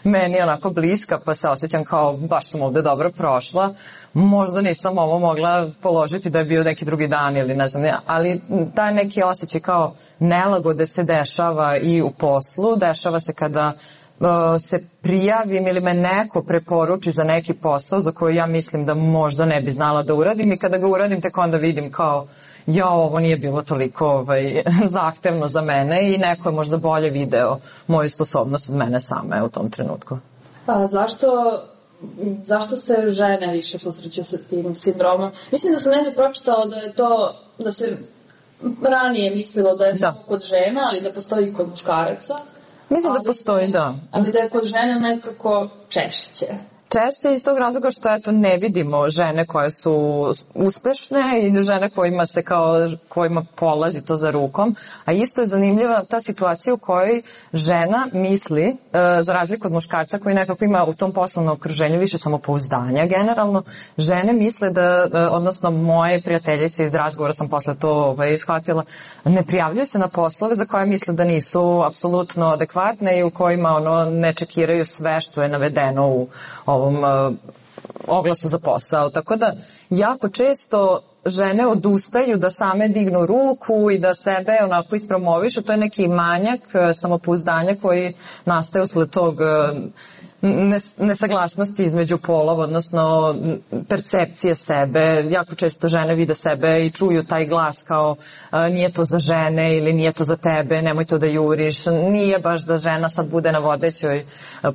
meni onako bliska, pa se osjećam kao baš sam ovde dobro prošla. Možda nisam ovo mogla položiti da je bio neki drugi dan ili ne znam, ali taj neki osjećaj kao nelagode se dešava i u poslu, dešava se kada se prijavim ili me neko preporuči za neki posao za koji ja mislim da možda ne bi znala da uradim i kada ga uradim tek onda vidim kao ovo nije bilo toliko zahtevno za mene i neko je možda bolje video moju sposobnost od mene same u tom trenutku. A zašto se žene više susreću sa tim sindromom? Mislim da sam negdje pročitala da je to, da se ranije mislilo da je samo kod žena, ali da postoji i kod muškaraca. Mislim da postoji, da. Ali da je kod žena nekako češće. Češće iz tog razloga što ne vidimo žene koje su uspešne i žene kojima polazi to za rukom, a isto je zanimljiva ta situacija u kojoj žena misli, za razliku od muškarca koji nekako ima u tom poslovnom okruženju više samopouzdanja generalno, žene misle odnosno moje prijateljice iz razgovora sam posle to shvatila, ne prijavljuju se na poslove za koje misle da nisu apsolutno adekvatne i u kojima ne čekiraju sve što je navedeno u ovom oglasu za posao. Tako da jako često žene odustaju da same dignu ruku i da sebe onako ispromovišu. To je neki manjak samopouzdanja koji nastaje usled tog nesaglasnosti između polova, odnosno percepcije sebe. Jako često žene vide sebe i čuju taj glas kao nije to za žene ili nije to za tebe, nemoj to da juriš, nije baš da žena sad bude na vodećoj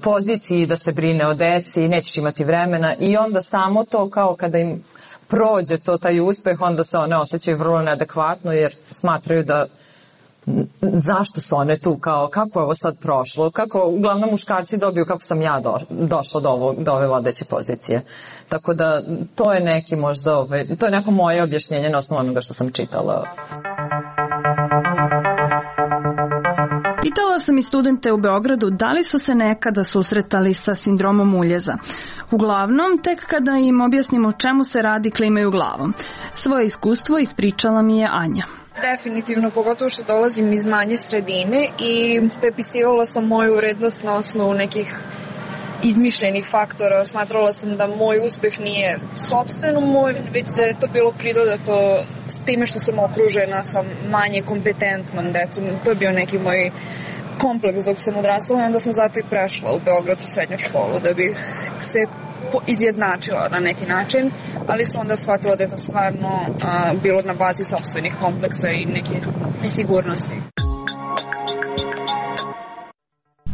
poziciji, da se brine o deci, nećeš imati vremena i onda samo to kao kada im prođe taj uspeh, onda se one osjećaju vrlo neadekvatno jer smatraju da zašto su one tu, kao kako je ovo sad prošlo, kako uglavnom muškarci dobiju kako sam ja došla do ove vodeće pozicije. Tako da to je neki možda, to je neko moje objašnjenje na osnovu onoga što sam čitala. Pitala sam i studente u Beogradu da li su se nekada susretali sa sindromom uljeza. Uglavnom, tek kada im objasnim o čemu se radi, klimaju glavom. Svoje iskustvo ispričala mi je Anja. Definitivno, pogotovo što dolazim iz manje sredine i prepisivala sam moju urednost na osnovu nekih izmišljenih faktora. Smatrala sam da moj uspeh nije sopstveno moj, već da je to bilo pridodato s time što sam okružena sa manje kompetentnom decom. To je bio neki moj kompleks dok sam odrastala i onda sam zato i prešla u Beograd u srednju školu da bih se izjednačila na neki način, ali sam onda shvatila da je to stvarno bilo na bazi sopstvenih kompleksa i neke nesigurnosti.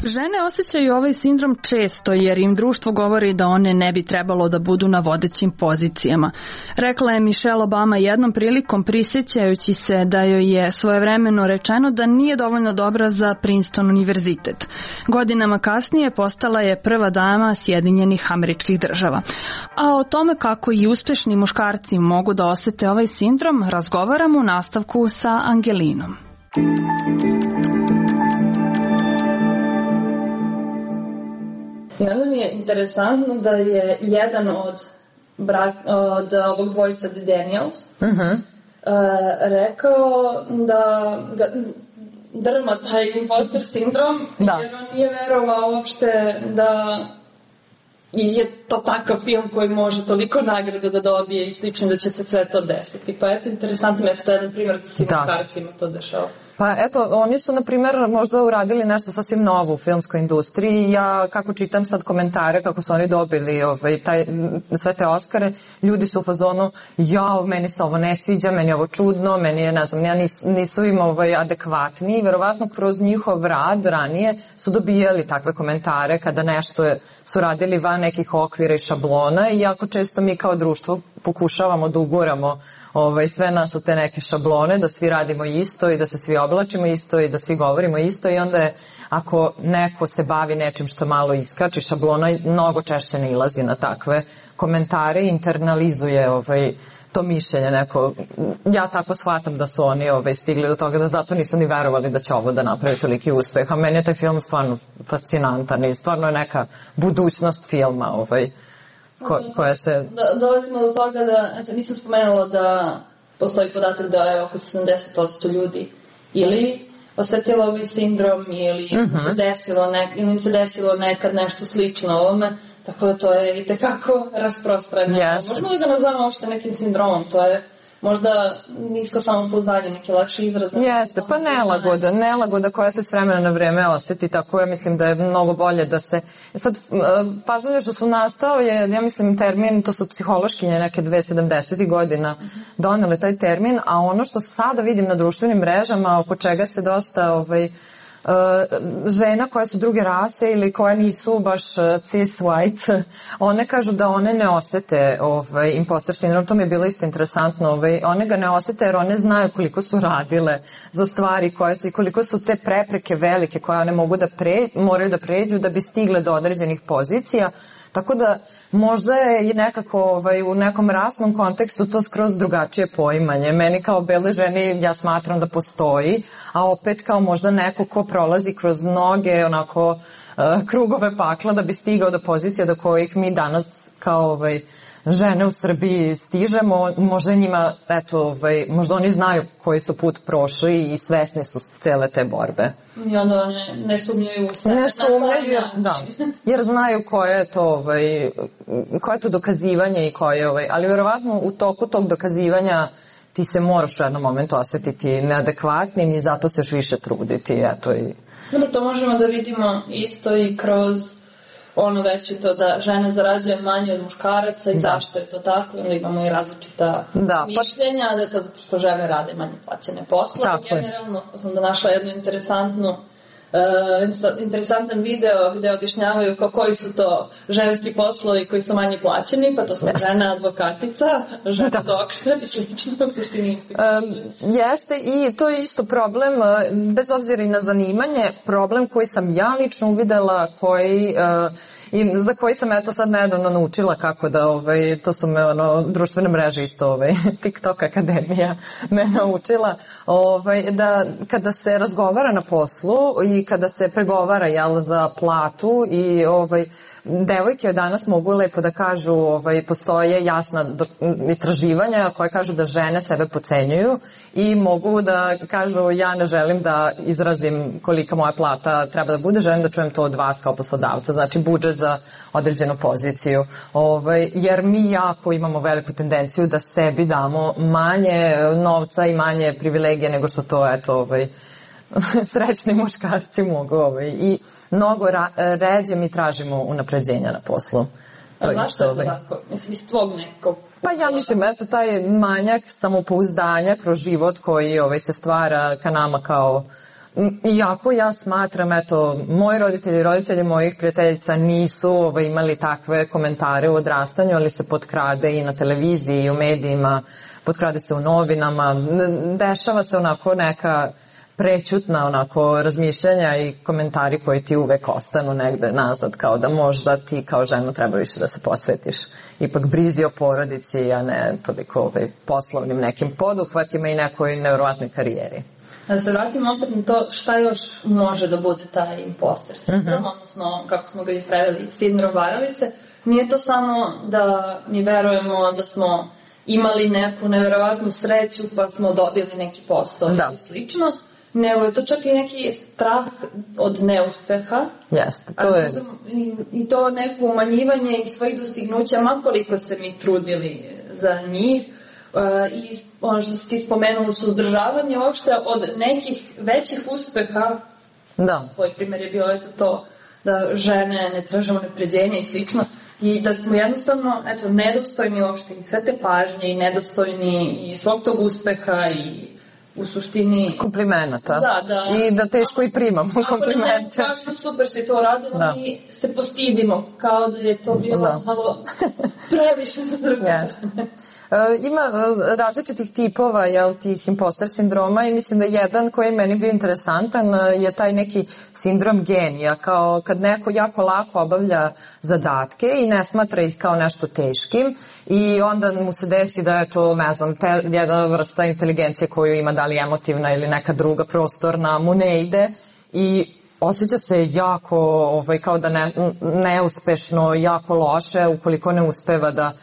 Žene osjećaju ovaj sindrom često jer im društvo govori da one ne bi trebalo da budu na vodećim pozicijama. Rekla je Michelle Obama jednom prilikom prisjećajući se da joj je svojevremeno rečeno da nije dovoljno dobra za Princeton univerzitet. Godinama kasnije postala je prva dama Sjedinjenih Američkih Država. A o tome kako i uspešni muškarci mogu da osete ovaj sindrom razgovaramo u nastavku sa Angelinom. I onda mi je interesantno da je jedan od ovog dvojica The Daniels rekao da ga drma taj imposter sindrom jer on nije verovao uopšte da je to takav film koji može toliko nagrada da dobije i slično da će se sve to desiti. Pa eto, interesantno je to jedan primjer da se muškarcima to dešava. Pa eto, oni su, na primjer, možda uradili nešto sasvim novo u filmskoj industriji. Ja, kako čitam sad komentare, kako su oni dobili sve te Oskare, ljudi su u fazonu, meni se ovo ne sviđa, meni je ovo čudno, meni je, ne znam, nisu im adekvatni i verovatno kroz njihov rad ranije su dobijali takve komentare kada nešto su radili van nekih okvira i šablona i jako često mi kao društvo pokušavamo da uguramo sve nas u te neke šablone, da svi radimo isto i da se svi oblačimo isto i da svi govorimo isto i onda je, ako neko se bavi nečim što malo iskači šablona, mnogo češće nailazi na takve komentare i internalizuje to mišljenje neko. Ja tako shvatam da su oni stigli do toga da zato nisu ni verovali da će ovo da napravi toliki uspeh, a meni je taj film stvarno fascinantan i stvarno je neka budućnost filma koja se... Dolazimo do toga da, nisam spomenula da postoji podatak da je oko 70% ljudi ili osetilo ovaj sindrom ili im se desilo nekad nešto slično ovome, tako da to je itekako rasprostranjeno. Možemo li ga nazvamo uopšte nekim sindromom? To je možda nisko samopouzdanje, neki lakši izraz. Jeste, pa nelagoda koja se s vremena na vreme osjeti, tako ja mislim da je mnogo bolje da se... Sad, fazonje što su nastao je, ja mislim, termin, to su psihološkinje neke 2070. godina donele taj termin, a ono što sada vidim na društvenim mrežama, oko čega se dosta žena koje su druge rase ili koje nisu baš cis white, one kažu da one ne osete imposter sindrom. To mi je bilo isto interesantno. One ga ne osete jer one znaju koliko su radile za stvari koje su i koliko su te prepreke velike koje one moraju da pređu da bi stigle do određenih pozicija. Tako da možda je i nekako u nekom rasnom kontekstu to skroz drugačije poimanje. Meni kao bele ženi ja smatram da postoji, a opet kao možda neko ko prolazi kroz mnoge onako krugove pakla da bi stigao do pozicija do kojih mi danas kao žene u Srbiji stižemo, možda njima, možda oni znaju koji su put prošli i svesni su cele te borbe. I onda ne sumnjaju u sve. Ne sumnjaju, da. Jer znaju koje je to dokazivanje i koje ali vjerovatno u toku tog dokazivanja ti se moraš u jednom momentu osjetiti neadekvatnim i zato se još više truditi, Dobro, to možemo da vidimo isto i kroz ono već je to da žene zarađuju manje od muškaraca i zašto je to tako, onda imamo i različita mišljenja, da je to zato što žene rade manje plaćene poslove. Generalno sam da našla jednu interesantan video gde objašnjavaju koji su to ženski poslovi koji su manje plaćeni, pa to su žena advokatica, žena doktor i slično u suštini. Jeste, i to je isto problem, bez obzira i na zanimanje, problem koji sam ja lično uvidela, i za koji sam sad nedavno naučila kako da, to su me društvene mreže isto, TikTok akademija me naučila, da kada se razgovara na poslu i kada se pregovara za platu i devojke danas mogu lepo da kažu, postoje jasna istraživanja koje kažu da žene sebe potcenjuju i mogu da kažu ja ne želim da izrazim kolika moja plata treba da bude, želim da čujem to od vas kao poslodavca, znači budžet za određenu poziciju, jer mi jako imamo veliku tendenciju da sebi damo manje novca i manje privilegije nego što to srećni muškarci mogu i mnogo ređe mi tražimo unapređenja na poslu. Zašto je to tako? Mislim, iz tvog nekog... Pa ja mislim, taj manjak samopouzdanja kroz život koji se stvara ka nama kao... Iako ja smatram, moji roditelji i roditelji mojih prijateljica nisu imali takve komentare u odrastanju, ali se potkrade i na televiziji i u medijima, potkrade se u novinama, dešava se onako neka prećutna razmišljanja i komentari koji ti uvek ostanu negde nazad, kao da možda ti kao ženu treba više da se posvetiš ipak brizi o porodici, a ne toliko poslovnim nekim poduhvatima i nekoj nevjerovatnoj karijeri. Da se vratimo opet na to šta još može da bude taj imposter sindrom, odnosno kako smo ga i preveli, sindrom varalice. Nije to samo da mi verujemo da smo imali neku nevjerovatnu sreću pa smo dobili neki posao i slično, nego je to čak i neki strah od neuspeha. Jeste, to je... I to neko umanjivanje i svojih dostignuća, makoliko se mi trudili za njih. I ono što ti spomenula, suzdržavanje uopšte od nekih većih uspeha. Da. Tvoj primjer je bio to da žene ne traže unapređenja i slično. I da smo jednostavno nedostojni uopšte i sve te pažnje i nedostojni i svog tog uspeha i u suštini... Komplimenata. Da. I da teško i primamo komplimente. Baš super si to radila i se postidimo kao da je to bilo malo previše za druge. Ima različitih tipova tih imposter sindroma i mislim da jedan koji je meni bio interesantan je taj neki sindrom genija, kao kad neko jako lako obavlja zadatke i ne smatra ih kao nešto teškim i onda mu se desi da je to, ne znam, jedna vrsta inteligencije koju ima, da li emotivna ili neka druga prostorna, mu ne ide i osjeća se jako, kao da neuspešno, jako loše ukoliko ne uspeva da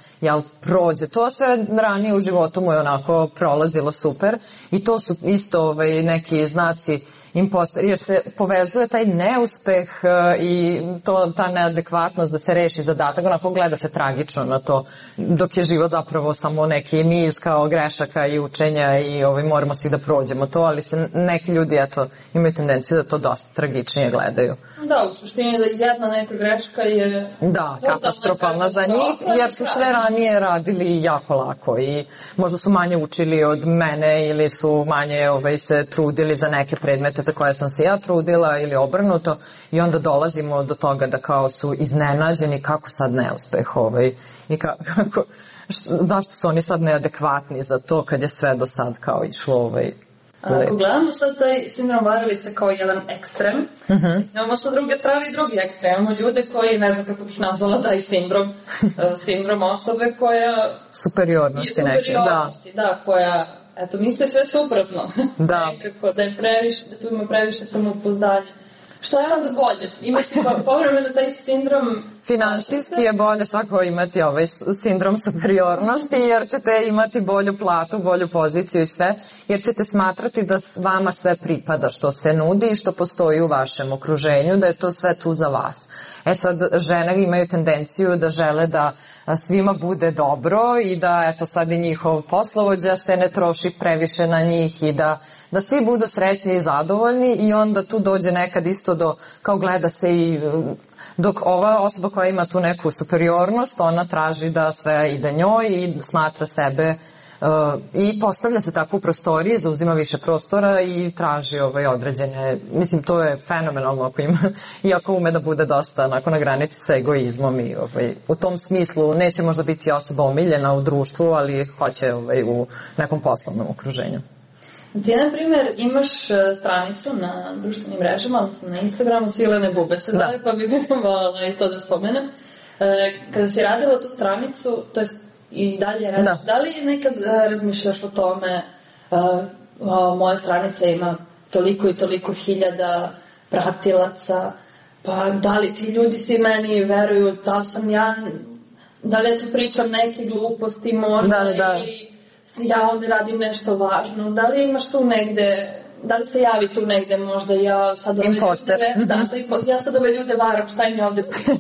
prođe. To sve ranije u životu mu je onako prolazilo super i to su isto neki znaci imposter, jer se povezuje taj neuspeh i ta neadekvatnost da se reši zadatak, onako gleda se tragično na to, dok je život zapravo samo neki niz kao grešaka i učenja i moramo svi da prođemo to, ali se neki ljudi imaju tendenciju da to dosta tragičnije gledaju. Da, u suštini da jedna neka greška je... Da, katastrofalna za njih, jer su sve ranije radili jako lako i možda su manje učili od mene ili su manje se trudili za neke predmete za koje sam se ja trudila ili obrnuto i onda dolazimo do toga da kao su iznenađeni kako sad neuspeh i kako, zašto su oni sad neadekvatni za to kad je sve do sad kao išlo Ako gledamo sad taj sindrom varalice kao jedan ekstrem, imamo sa druge strane i drugi ekstrem. Imamo ljude koji, ne znam kako bih nazvala taj sindrom osobe koja... Superiornosti neke, da, koja... Eto, misle sve suprotno. Da. Nekako da tu ima previše samopouzdanja. Šta je onda bolje? Imati povremeno taj sindrom... Finansijski je bolje svakako imati sindrom superiornosti, jer ćete imati bolju platu, bolju poziciju i sve, jer ćete smatrati da vama sve pripada što se nudi i što postoji u vašem okruženju, da je to sve tu za vas. Sad, žene imaju tendenciju da žele da svima bude dobro i da sad i njihov poslovođa se ne troši previše na njih i da svi budu srećni i zadovoljni i onda tu dođe nekad isto do, kao gleda se i dok ova osoba koja ima tu neku superiornost, ona traži da sve ide njoj i smatra sebe i postavlja se tako u prostoriji, zauzima više prostora i traži određene, mislim to je fenomenalno ako ima, iako ume da bude dosta na granici sa egoizmom i u tom smislu neće možda biti osoba omiljena u društvu, ali hoće u nekom poslovnom okruženju. Ti, na primjer, imaš stranicu na društvenim mrežama, odnosno na Instagramu, Silene Bube se zove, pa bih voljela i to da spomenem. Kada si radila tu stranicu, to je i dalje radiš, da li nekad razmišljaš o tome, moja stranica ima toliko i toliko hiljada pratilaca, pa da li ti ljudi svi meni veruju, da li ja tu pričam neke gluposti možda ili ja ovde radim nešto važno, da li imaš tu negde, da li se javi tu negde možda ja sad ove ljude, ja sad ove ljude varam, šta im je ovde pričam?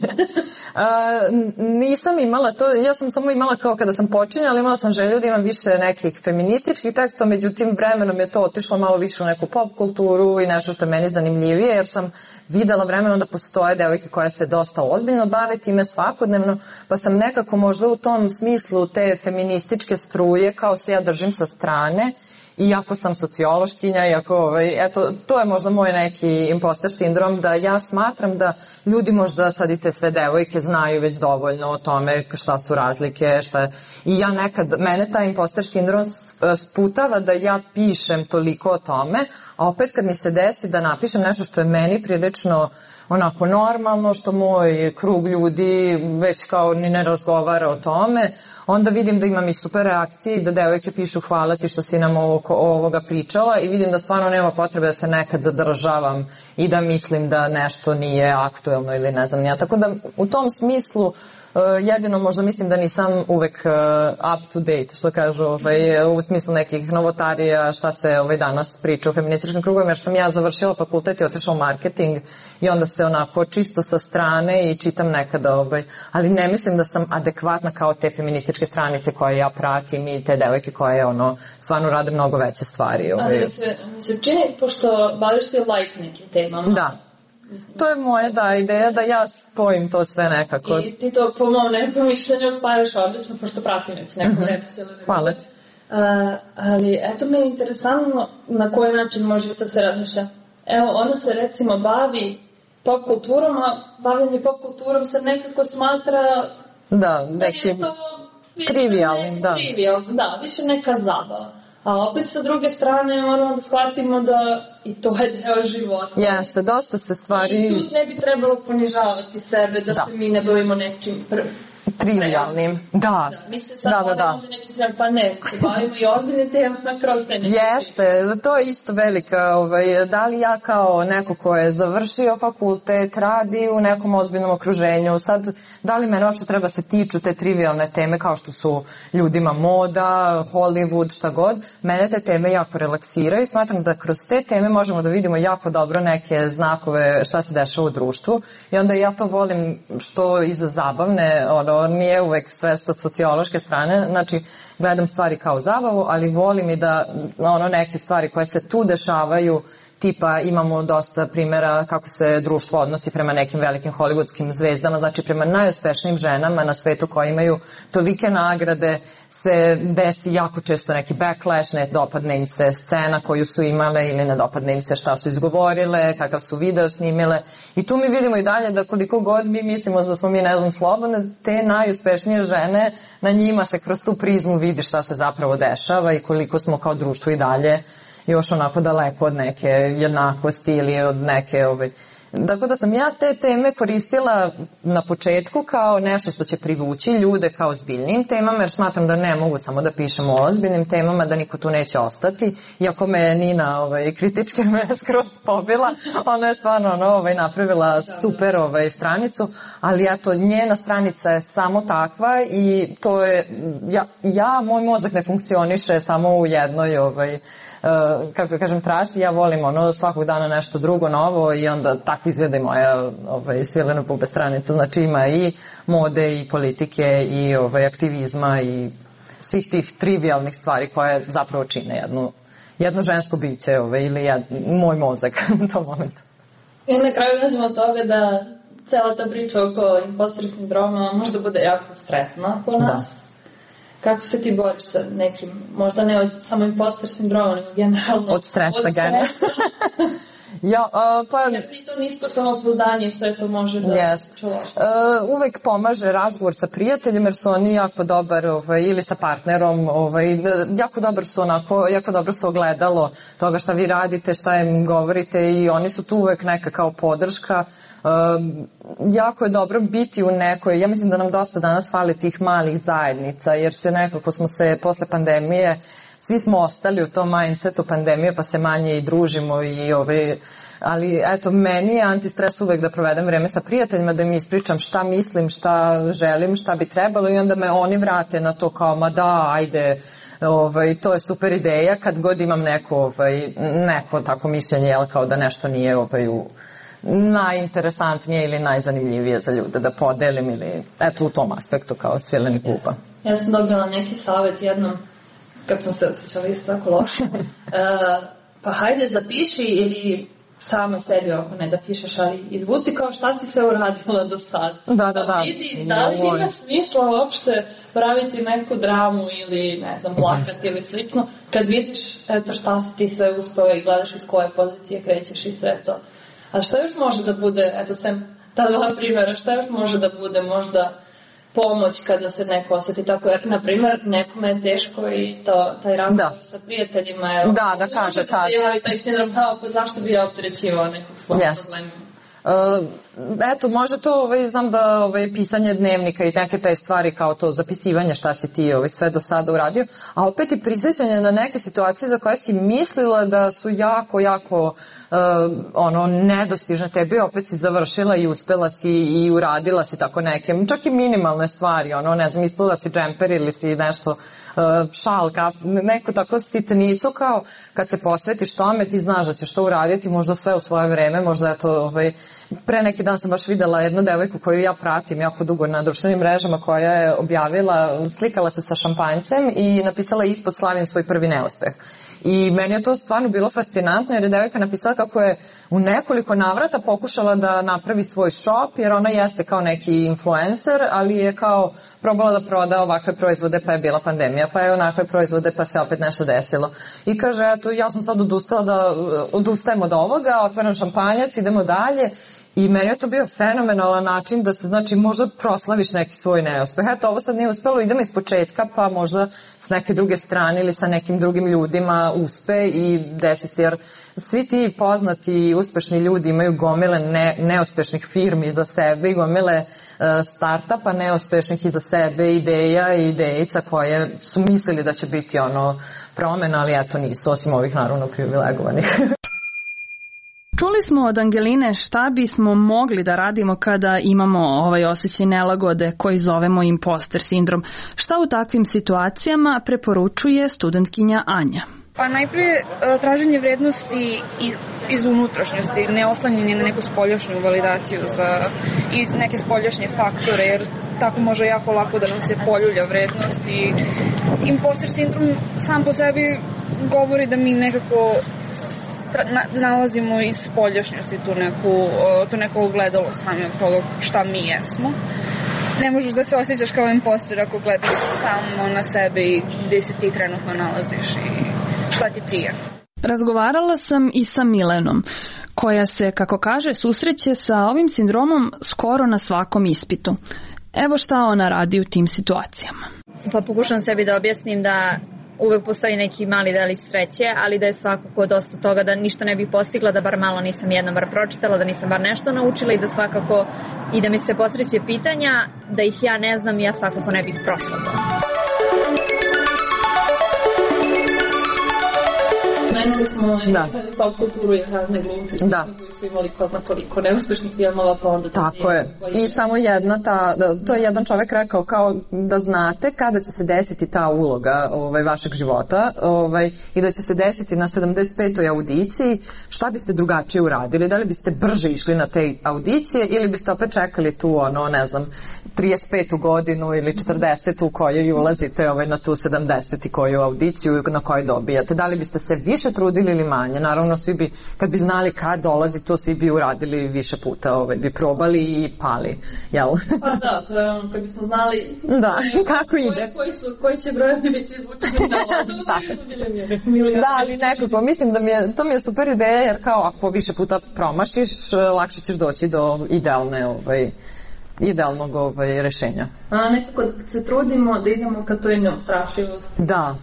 Nisam imala to, ja sam samo imala kao kada sam počinjala, imala sam želju da imam više nekih feminističkih tekstova, međutim vremenom je to otišlo malo više u neku pop kulturu i nešto što je meni zanimljivije, jer sam videla vremenom da postoje devojke koje se dosta ozbiljno bave time svakodnevno, pa sam nekako možda u tom smislu te feminističke struje kao se ja držim sa strane. Iako sam sociološkinja, to je možda moj neki imposter sindrom, da ja smatram da ljudi možda sad i te sve devojke znaju već dovoljno o tome šta su razlike, i ja nekad, mene taj imposter sindrom sputava da ja pišem toliko o tome, a opet kad mi se desi da napišem nešto što je meni prilično onako normalno, što moj krug ljudi već kao ni ne razgovara o tome, onda vidim da imam i super reakcije i da devojke pišu hvala ti što si nam ovoga pričala i vidim da stvarno nema potrebe da se nekad zadržavam i da mislim da nešto nije aktuelno ili ne znam ja. Tako da u tom smislu jedino možda mislim da nisam uvek up to date, što kažu, u smislu nekih novotarija, šta se danas priča u feminističkim krugovima, jer sam ja završila fakultet i otišla u marketing i onda se onako čisto sa strane i čitam nekada, ali ne mislim da sam adekvatna kao te feminističke stranice koje ja pratim i te devojke koje stvarno rade mnogo veće stvari. Ali mi se čini, pošto baviš se like nekim temama. Da. To je moja ideja da ja spojim to sve nekako. I ti to po mom nekom mišljenju spaješ odlično, pošto pratim već nekom repisiju. Hvala ti. Ali eto me je interesantno na koji način može da se razmišlja. Evo, ona se recimo bavi pop kulturom, a bavljanje pop kulturom se nekako smatra da je to trivialnim. Da, više neka zabava. A opet sa druge strane moramo da shvatimo da i to je deo života. Jeste, dosta se stvari... I tu ne bi trebalo ponižavati sebe, da se mi ne bavimo nečim trivialnim. Da. Mislim sad ovdje neće se pa ne, se bavimo i ozbiljne temama kroz te neke. Jeste, to je isto velika, da li ja kao neko ko je završio fakultet, radi u nekom ozbiljnom okruženju, sad da li mene uopšte treba se tiču te trivialne teme kao što su ljudima moda, Hollywood, šta god, mene te teme jako relaksiraju i smatram da kroz te teme možemo da vidimo jako dobro neke znakove šta se dešava u društvu i onda ja to volim što iza zabavne, nije uvek sve sa sociološke strane, znači gledam stvari kao zabavu, ali volim i da neke stvari koje se tu dešavaju, tipa imamo dosta primjera kako se društvo odnosi prema nekim velikim hollywoodskim zvezdama, znači prema najuspešnijim ženama na svetu koje imaju tolike nagrade se desi jako često neki backlash, ne dopadne im se scena koju su imale ili ne dopadne im se šta su izgovorile, kakav su video snimile i tu mi vidimo i dalje da koliko god mi mislimo da smo mi ne znam slobodne, te najuspešnije žene, na njima se kroz tu prizmu vidi šta se zapravo dešava i koliko smo kao društvo i dalje još onako daleko od neke jednakosti ili od neke Tako da sam ja te teme koristila na početku kao nešto što će privući ljude kao ozbiljnim temama, jer smatram da ne mogu samo da pišemo o ozbiljnim temama, da niko tu neće ostati. Iako me Nina kritički me skroz pobila, ona je stvarno napravila super stranicu, ali eto, njena stranica je samo takva i to je, moj mozak ne funkcioniše samo u jednoj kako kažem, trasi, ja volim svakog dana nešto drugo novo i onda tako izgleda i moja Svilena Bube stranica, znači ima i mode i politike i aktivizma i svih tih trivialnih stvari koje zapravo čine jedno žensko biće ili moj mozak u tom momentu. I na kraju nađemo od toga da cela ta priča oko imposter sindroma možda bude jako stresna po nas. Kako se ti boriš sa nekim, možda ne od samo imposter sindroma, nego generalno od stresa generalno? I to nisko samopouzdanje i sve to može da čuvaš. Uvek pomaže razgovor sa prijateljem jer su oni jako dobar ili sa partnerom, jako dobro su ogledalo toga šta vi radite, šta im govorite i oni su tu uvek neka kao podrška. Jako je dobro biti u nekoj, ja mislim da nam dosta danas fali tih malih zajednica jer se nekako smo se posle pandemije svi smo ostali u tom mindsetu pandemije pa se manje i družimo ali eto, meni je antistres uvek da provedem vreme sa prijateljima, da mi ispričam šta mislim, šta želim, šta bi trebalo i onda me oni vrate na to kao ma da, ajde, to je super ideja kad god imam neko tako mišljenje, kao da nešto nije najinteresantnije ili najzanimljivije za ljude da podelim ili eto u tom aspektu kao Svileni Buba. Ja sam dobila neki savjet jednom kad sam se osjećala isto tako loše. Pa hajde zapiši ili sama sebi ako ne da pišeš, ali izvuci kao šta si sve uradila do sad. Da. Vidi, da li ima smisla uopšte praviti neku dramu ili ne znam, plakati ili slično. Kad vidiš eto šta si ti sve uspeo i gledaš iz koje pozicije krećeš i sve to. A šta još može da bude, eto sem ta dva primjera, šta još može da bude možda pomoć kada se neko osjeti tako, jer na primjer nekome je teško i taj razgovor sa prijateljima, jer da kaže tad. Se javi taj sindrom, pa zašto bi ja opterećivao nekog svog problema? Eto, može to, znam da pisanje dnevnika i neke te stvari kao to zapisivanje šta si ti sve do sada uradio, a opet i prisjećanje na neke situacije za koje si mislila da su jako, jako nedostižne tebi, opet si završila i uspela si i uradila si tako neke, čak i minimalne stvari, ne znam, mislila si džemper ili si nešto šal, neku tako sitnicu kao kad se posvetiš tome ti znaš da ćeš to uraditi, možda sve u svoje vreme, možda je to pre neki dan sam baš videla jednu devojku koju ja pratim jako dugo na društvenim mrežama koja je objavila, slikala se sa šampanjcem i napisala ispod slavim svoj prvi neuspeh. I meni je to stvarno bilo fascinantno jer je devojka napisala kako je u nekoliko navrata pokušala da napravi svoj shop jer ona jeste kao neki influencer, ali je kao probala da proda ovakve proizvode pa je bila pandemija, pa je onakve proizvode pa se opet nešto desilo. I kaže, eto, ja sam sad odustajem od ovoga, otvaram šampanjac, idemo dalje. I meni je to bio fenomenalan način da se, znači, možda proslaviš neki svoj neuspeh. Eto, ovo sad nije uspelo, idemo iz početka, pa možda s neke druge strane ili sa nekim drugim ljudima uspe i desi se, jer svi ti poznati i uspešni ljudi imaju gomile neuspešnih firmi iza sebe i gomile startupa neuspešnih iza sebe, ideja i idejica koje su mislili da će biti promena, ali eto nisu, osim ovih naravno privilegovanih. Čuli smo od Angeline šta bismo mogli da radimo kada imamo ovaj osjećaj nelagode koji zovemo imposter sindrom. Šta u takvim situacijama preporučuje studentkinja Anja? Pa najprije traženje vrednosti iz unutrašnjosti, ne oslanjanje na neku spoljašnju validaciju i neke spoljašnje faktore, jer tako može jako lako da nam se poljulja vrednost i imposter sindrom sam po sebi govori da mi nekako nalazimo iz spoljašnjosti tu neko ogledalo samog toga šta mi jesmo. Ne možeš da se osjećaš kao imposter ako gledaš samo na sebe i gde se ti trenutno nalaziš i šta ti prija. Razgovarala sam i sa Milenom, koja se, kako kaže, susreće sa ovim sindromom skoro na svakom ispitu. Evo šta ona radi u tim situacijama. Pa pokušam sebi da objasnim da uvek postoji neki mali delić sreće, ali da je svakako dosta toga da ništa ne bih postigla, da bar malo nisam jednom bar pročitala, da nisam bar nešto naučila i da svakako i da mi se posreće pitanja, da ih ja ne znam, ja svakako ne bih prošla to. Menili smo pop kulturu i razne glumce koji su imali ko zna koliko neuspešnih filmova, pa onda... Tako je. I samo to je jedan čovek rekao kao da znate kada će se desiti ta uloga vašeg života i da će se desiti na 75. audiciji, šta biste drugačije uradili? Da li biste brže išli na te audicije ili biste opet čekali tu, ne znam, 35. godinu ili 40. u kojoj ulazite na tu 70. koju audiciju na kojoj dobijate? Da li biste se više trudili ili manje? Naravno, svi bi, kad bi znali kad dolazi, to svi bi uradili više puta, bi probali i pali, jel? Pa da, to je kad bismo znali kako ide. Koji će brojevi biti izvučeni na vodu. Da, ali nekako, mislim da to mi je super ideja, jer kao ako više puta promašiš, lakše ćeš doći do idealnog rešenja. A nekako da se trudimo da idemo ka toj neustrašivosti. Da.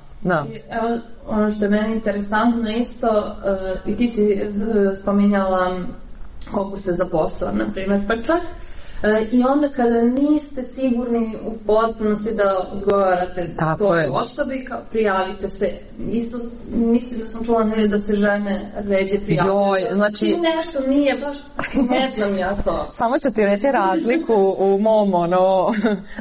Evo, ono što je meni interesantno isto, i ti si spominjala konkurse za posao, na primjer, pa čak i onda kada niste sigurni u potpunosti da odgovarate toj osobi, prijavite se. Isto mislim da sam čula da se žene ređe prijavljaju. Znači... I nešto nije baš, ne znam ja to. Samo ću ti reći razliku u mom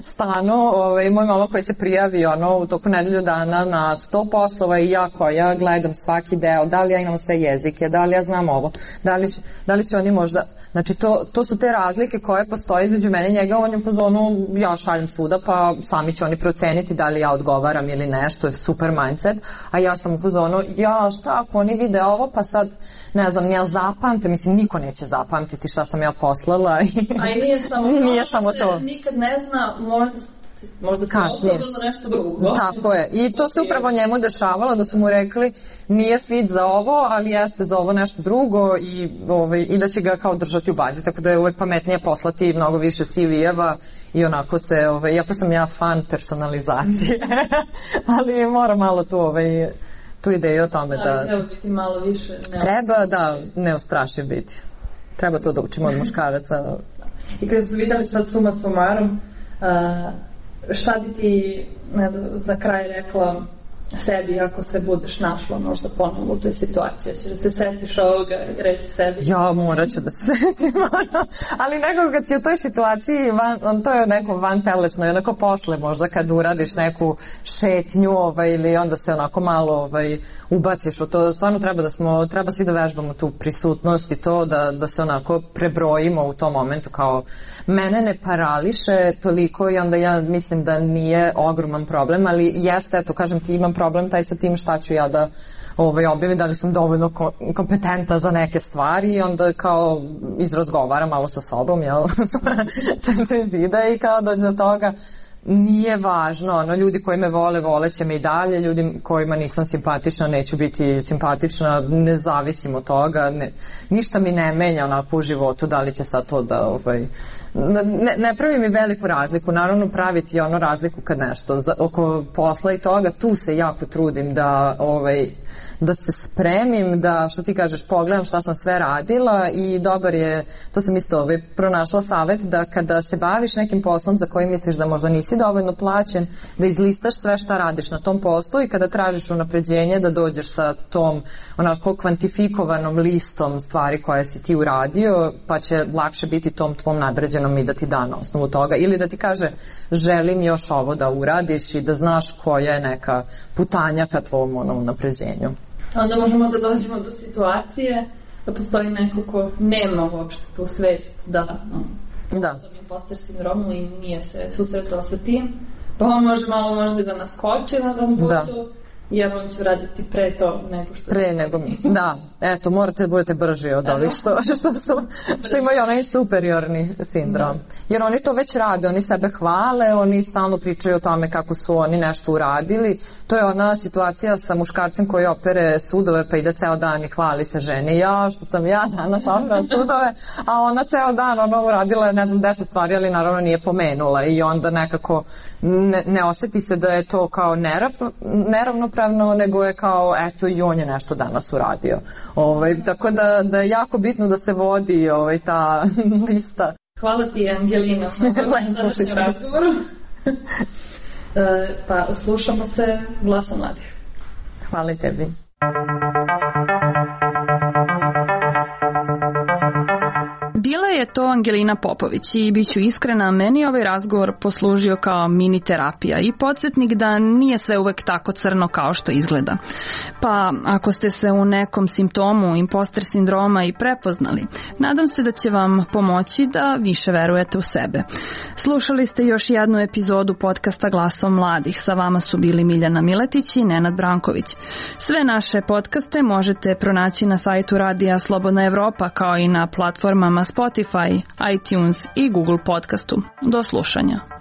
stanu. Moj mama koji se prijavi u toku nedelju dana na 100 poslova i ja koja gledam svaki deo, da li ja imam sve jezike, da li ja znam ovo, da li će oni možda... Znači, to su te razlike koje postoje između mene i njega. On je u fazonu, ja šaljem svuda, pa sami će oni proceniti da li ja odgovaram ili nešto, je super mindset. A ja sam u fazonu, šta ako oni vide ovo, pa sad, ne znam, ja zapamte, mislim, niko neće zapamtiti šta sam ja poslala. A i nije samo to. Nikad ne zna, možda kasnije za nešto drugo. Tako je. I to se upravo njemu dešavalo, da su mu rekli nije fit za ovo, ali jeste za ovo nešto drugo i da će ga kao držati u bazi. Tako da je uvek pametnije poslati mnogo više CV-eva i onako se, iako sam ja fan personalizacije, ali moram malo tu ideju o tome da... Treba biti malo više... Treba, neustrašiv biti. Treba to da učimo od muškaraca. I kada su videli sad suma sumarom, šta bi ti za kraj rekla sebi ako se budeš našla možda ponovno u toj situaciji? Ćeš da se setiš ovoga i reći sebi? Ja morat ću da se setim, ali nekako kad si u toj situaciji, to je neko vantelesno i onako posle možda kad uradiš neku šetnju ili onda se onako malo ubaciš u to. Stvarno treba svi da vežbamo tu prisutnost i to da se onako prebrojimo u tom momentu, kao mene ne parališe toliko i onda ja mislim da nije ogroman problem, ali jeste, eto kažem ti, imam problem taj sa tim šta ću ja da objavim, da li sam dovoljno kompetenta za neke stvari i onda kao izrazgovaram malo sa sobom, 4 zida i kao dođe do toga nije važno, ljudi koji me vole, voleće me i dalje, ljudi kojima nisam simpatična, neću biti simpatična, ne zavisim od toga, ništa mi ne menja onako u životu, da li će sad to da, ne pravi mi veliku razliku, naravno praviti razliku kad nešto, oko posla i toga, tu se jako trudim da se spremim, da, što ti kažeš, pogledam šta sam sve radila i dobar je, to sam isto pronašla savjet, da kada se baviš nekim poslom za koji misliš da možda nisi dovoljno plaćen, da izlistaš sve šta radiš na tom poslu i kada tražiš unapređenje da dođeš sa tom onako kvantifikovanom listom stvari koje si ti uradio, pa će lakše biti tom tvom nadređenom i da ti da na osnovu toga, ili da ti kaže želim još ovo da uradiš i da znaš koja je neka putanja ka tvom unapređenju. Onda možemo da dođemo do situacije da postoji neko ko nema uopšte tu svest da je imposter sindromu i nije se susretao sa tim, pa on može malo možda da naskoči na tom putu, jer on će raditi pre to nego što... Pre nego mi, da. Eto, morate da budete brži od ovih što imaju onaj superiorni sindrom. Jer oni to već rade, oni sebe hvale, oni stalno pričaju o tome kako su oni nešto uradili. To je ona situacija sa muškarcem koji opere sudove pa ide ceo dan i hvali se ženi. Što sam ja danas opera sudove, a ona ceo dan uradila 10 stvari, ali naravno nije pomenula i onda nekako ne oseti se da je to kao neravnopravno, nego je kao eto i on je nešto danas uradio. Tako da je jako bitno da se vodi ta lista. Hvala ti, Angelina, na današnjem razgovoru. Pa slušamo se Glasa mladih. Hvala i tebi. Bila je to Angelina Popović i bit ću iskrena, meni ovaj razgovor poslužio kao mini terapija i podsjetnik da nije sve uvek tako crno kao što izgleda. Pa ako ste se u nekom simptomu imposter sindroma i prepoznali, nadam se da će vam pomoći da više verujete u sebe. Slušali ste još jednu epizodu podcasta Glasom mladih. Sa vama su bili Miljana Miletić i Nenad Branković. Sve naše podcaste možete pronaći na sajtu Radija Slobodna Evropa, kao i na platformama Spotify, iTunes i Google podcastu. Do slušanja.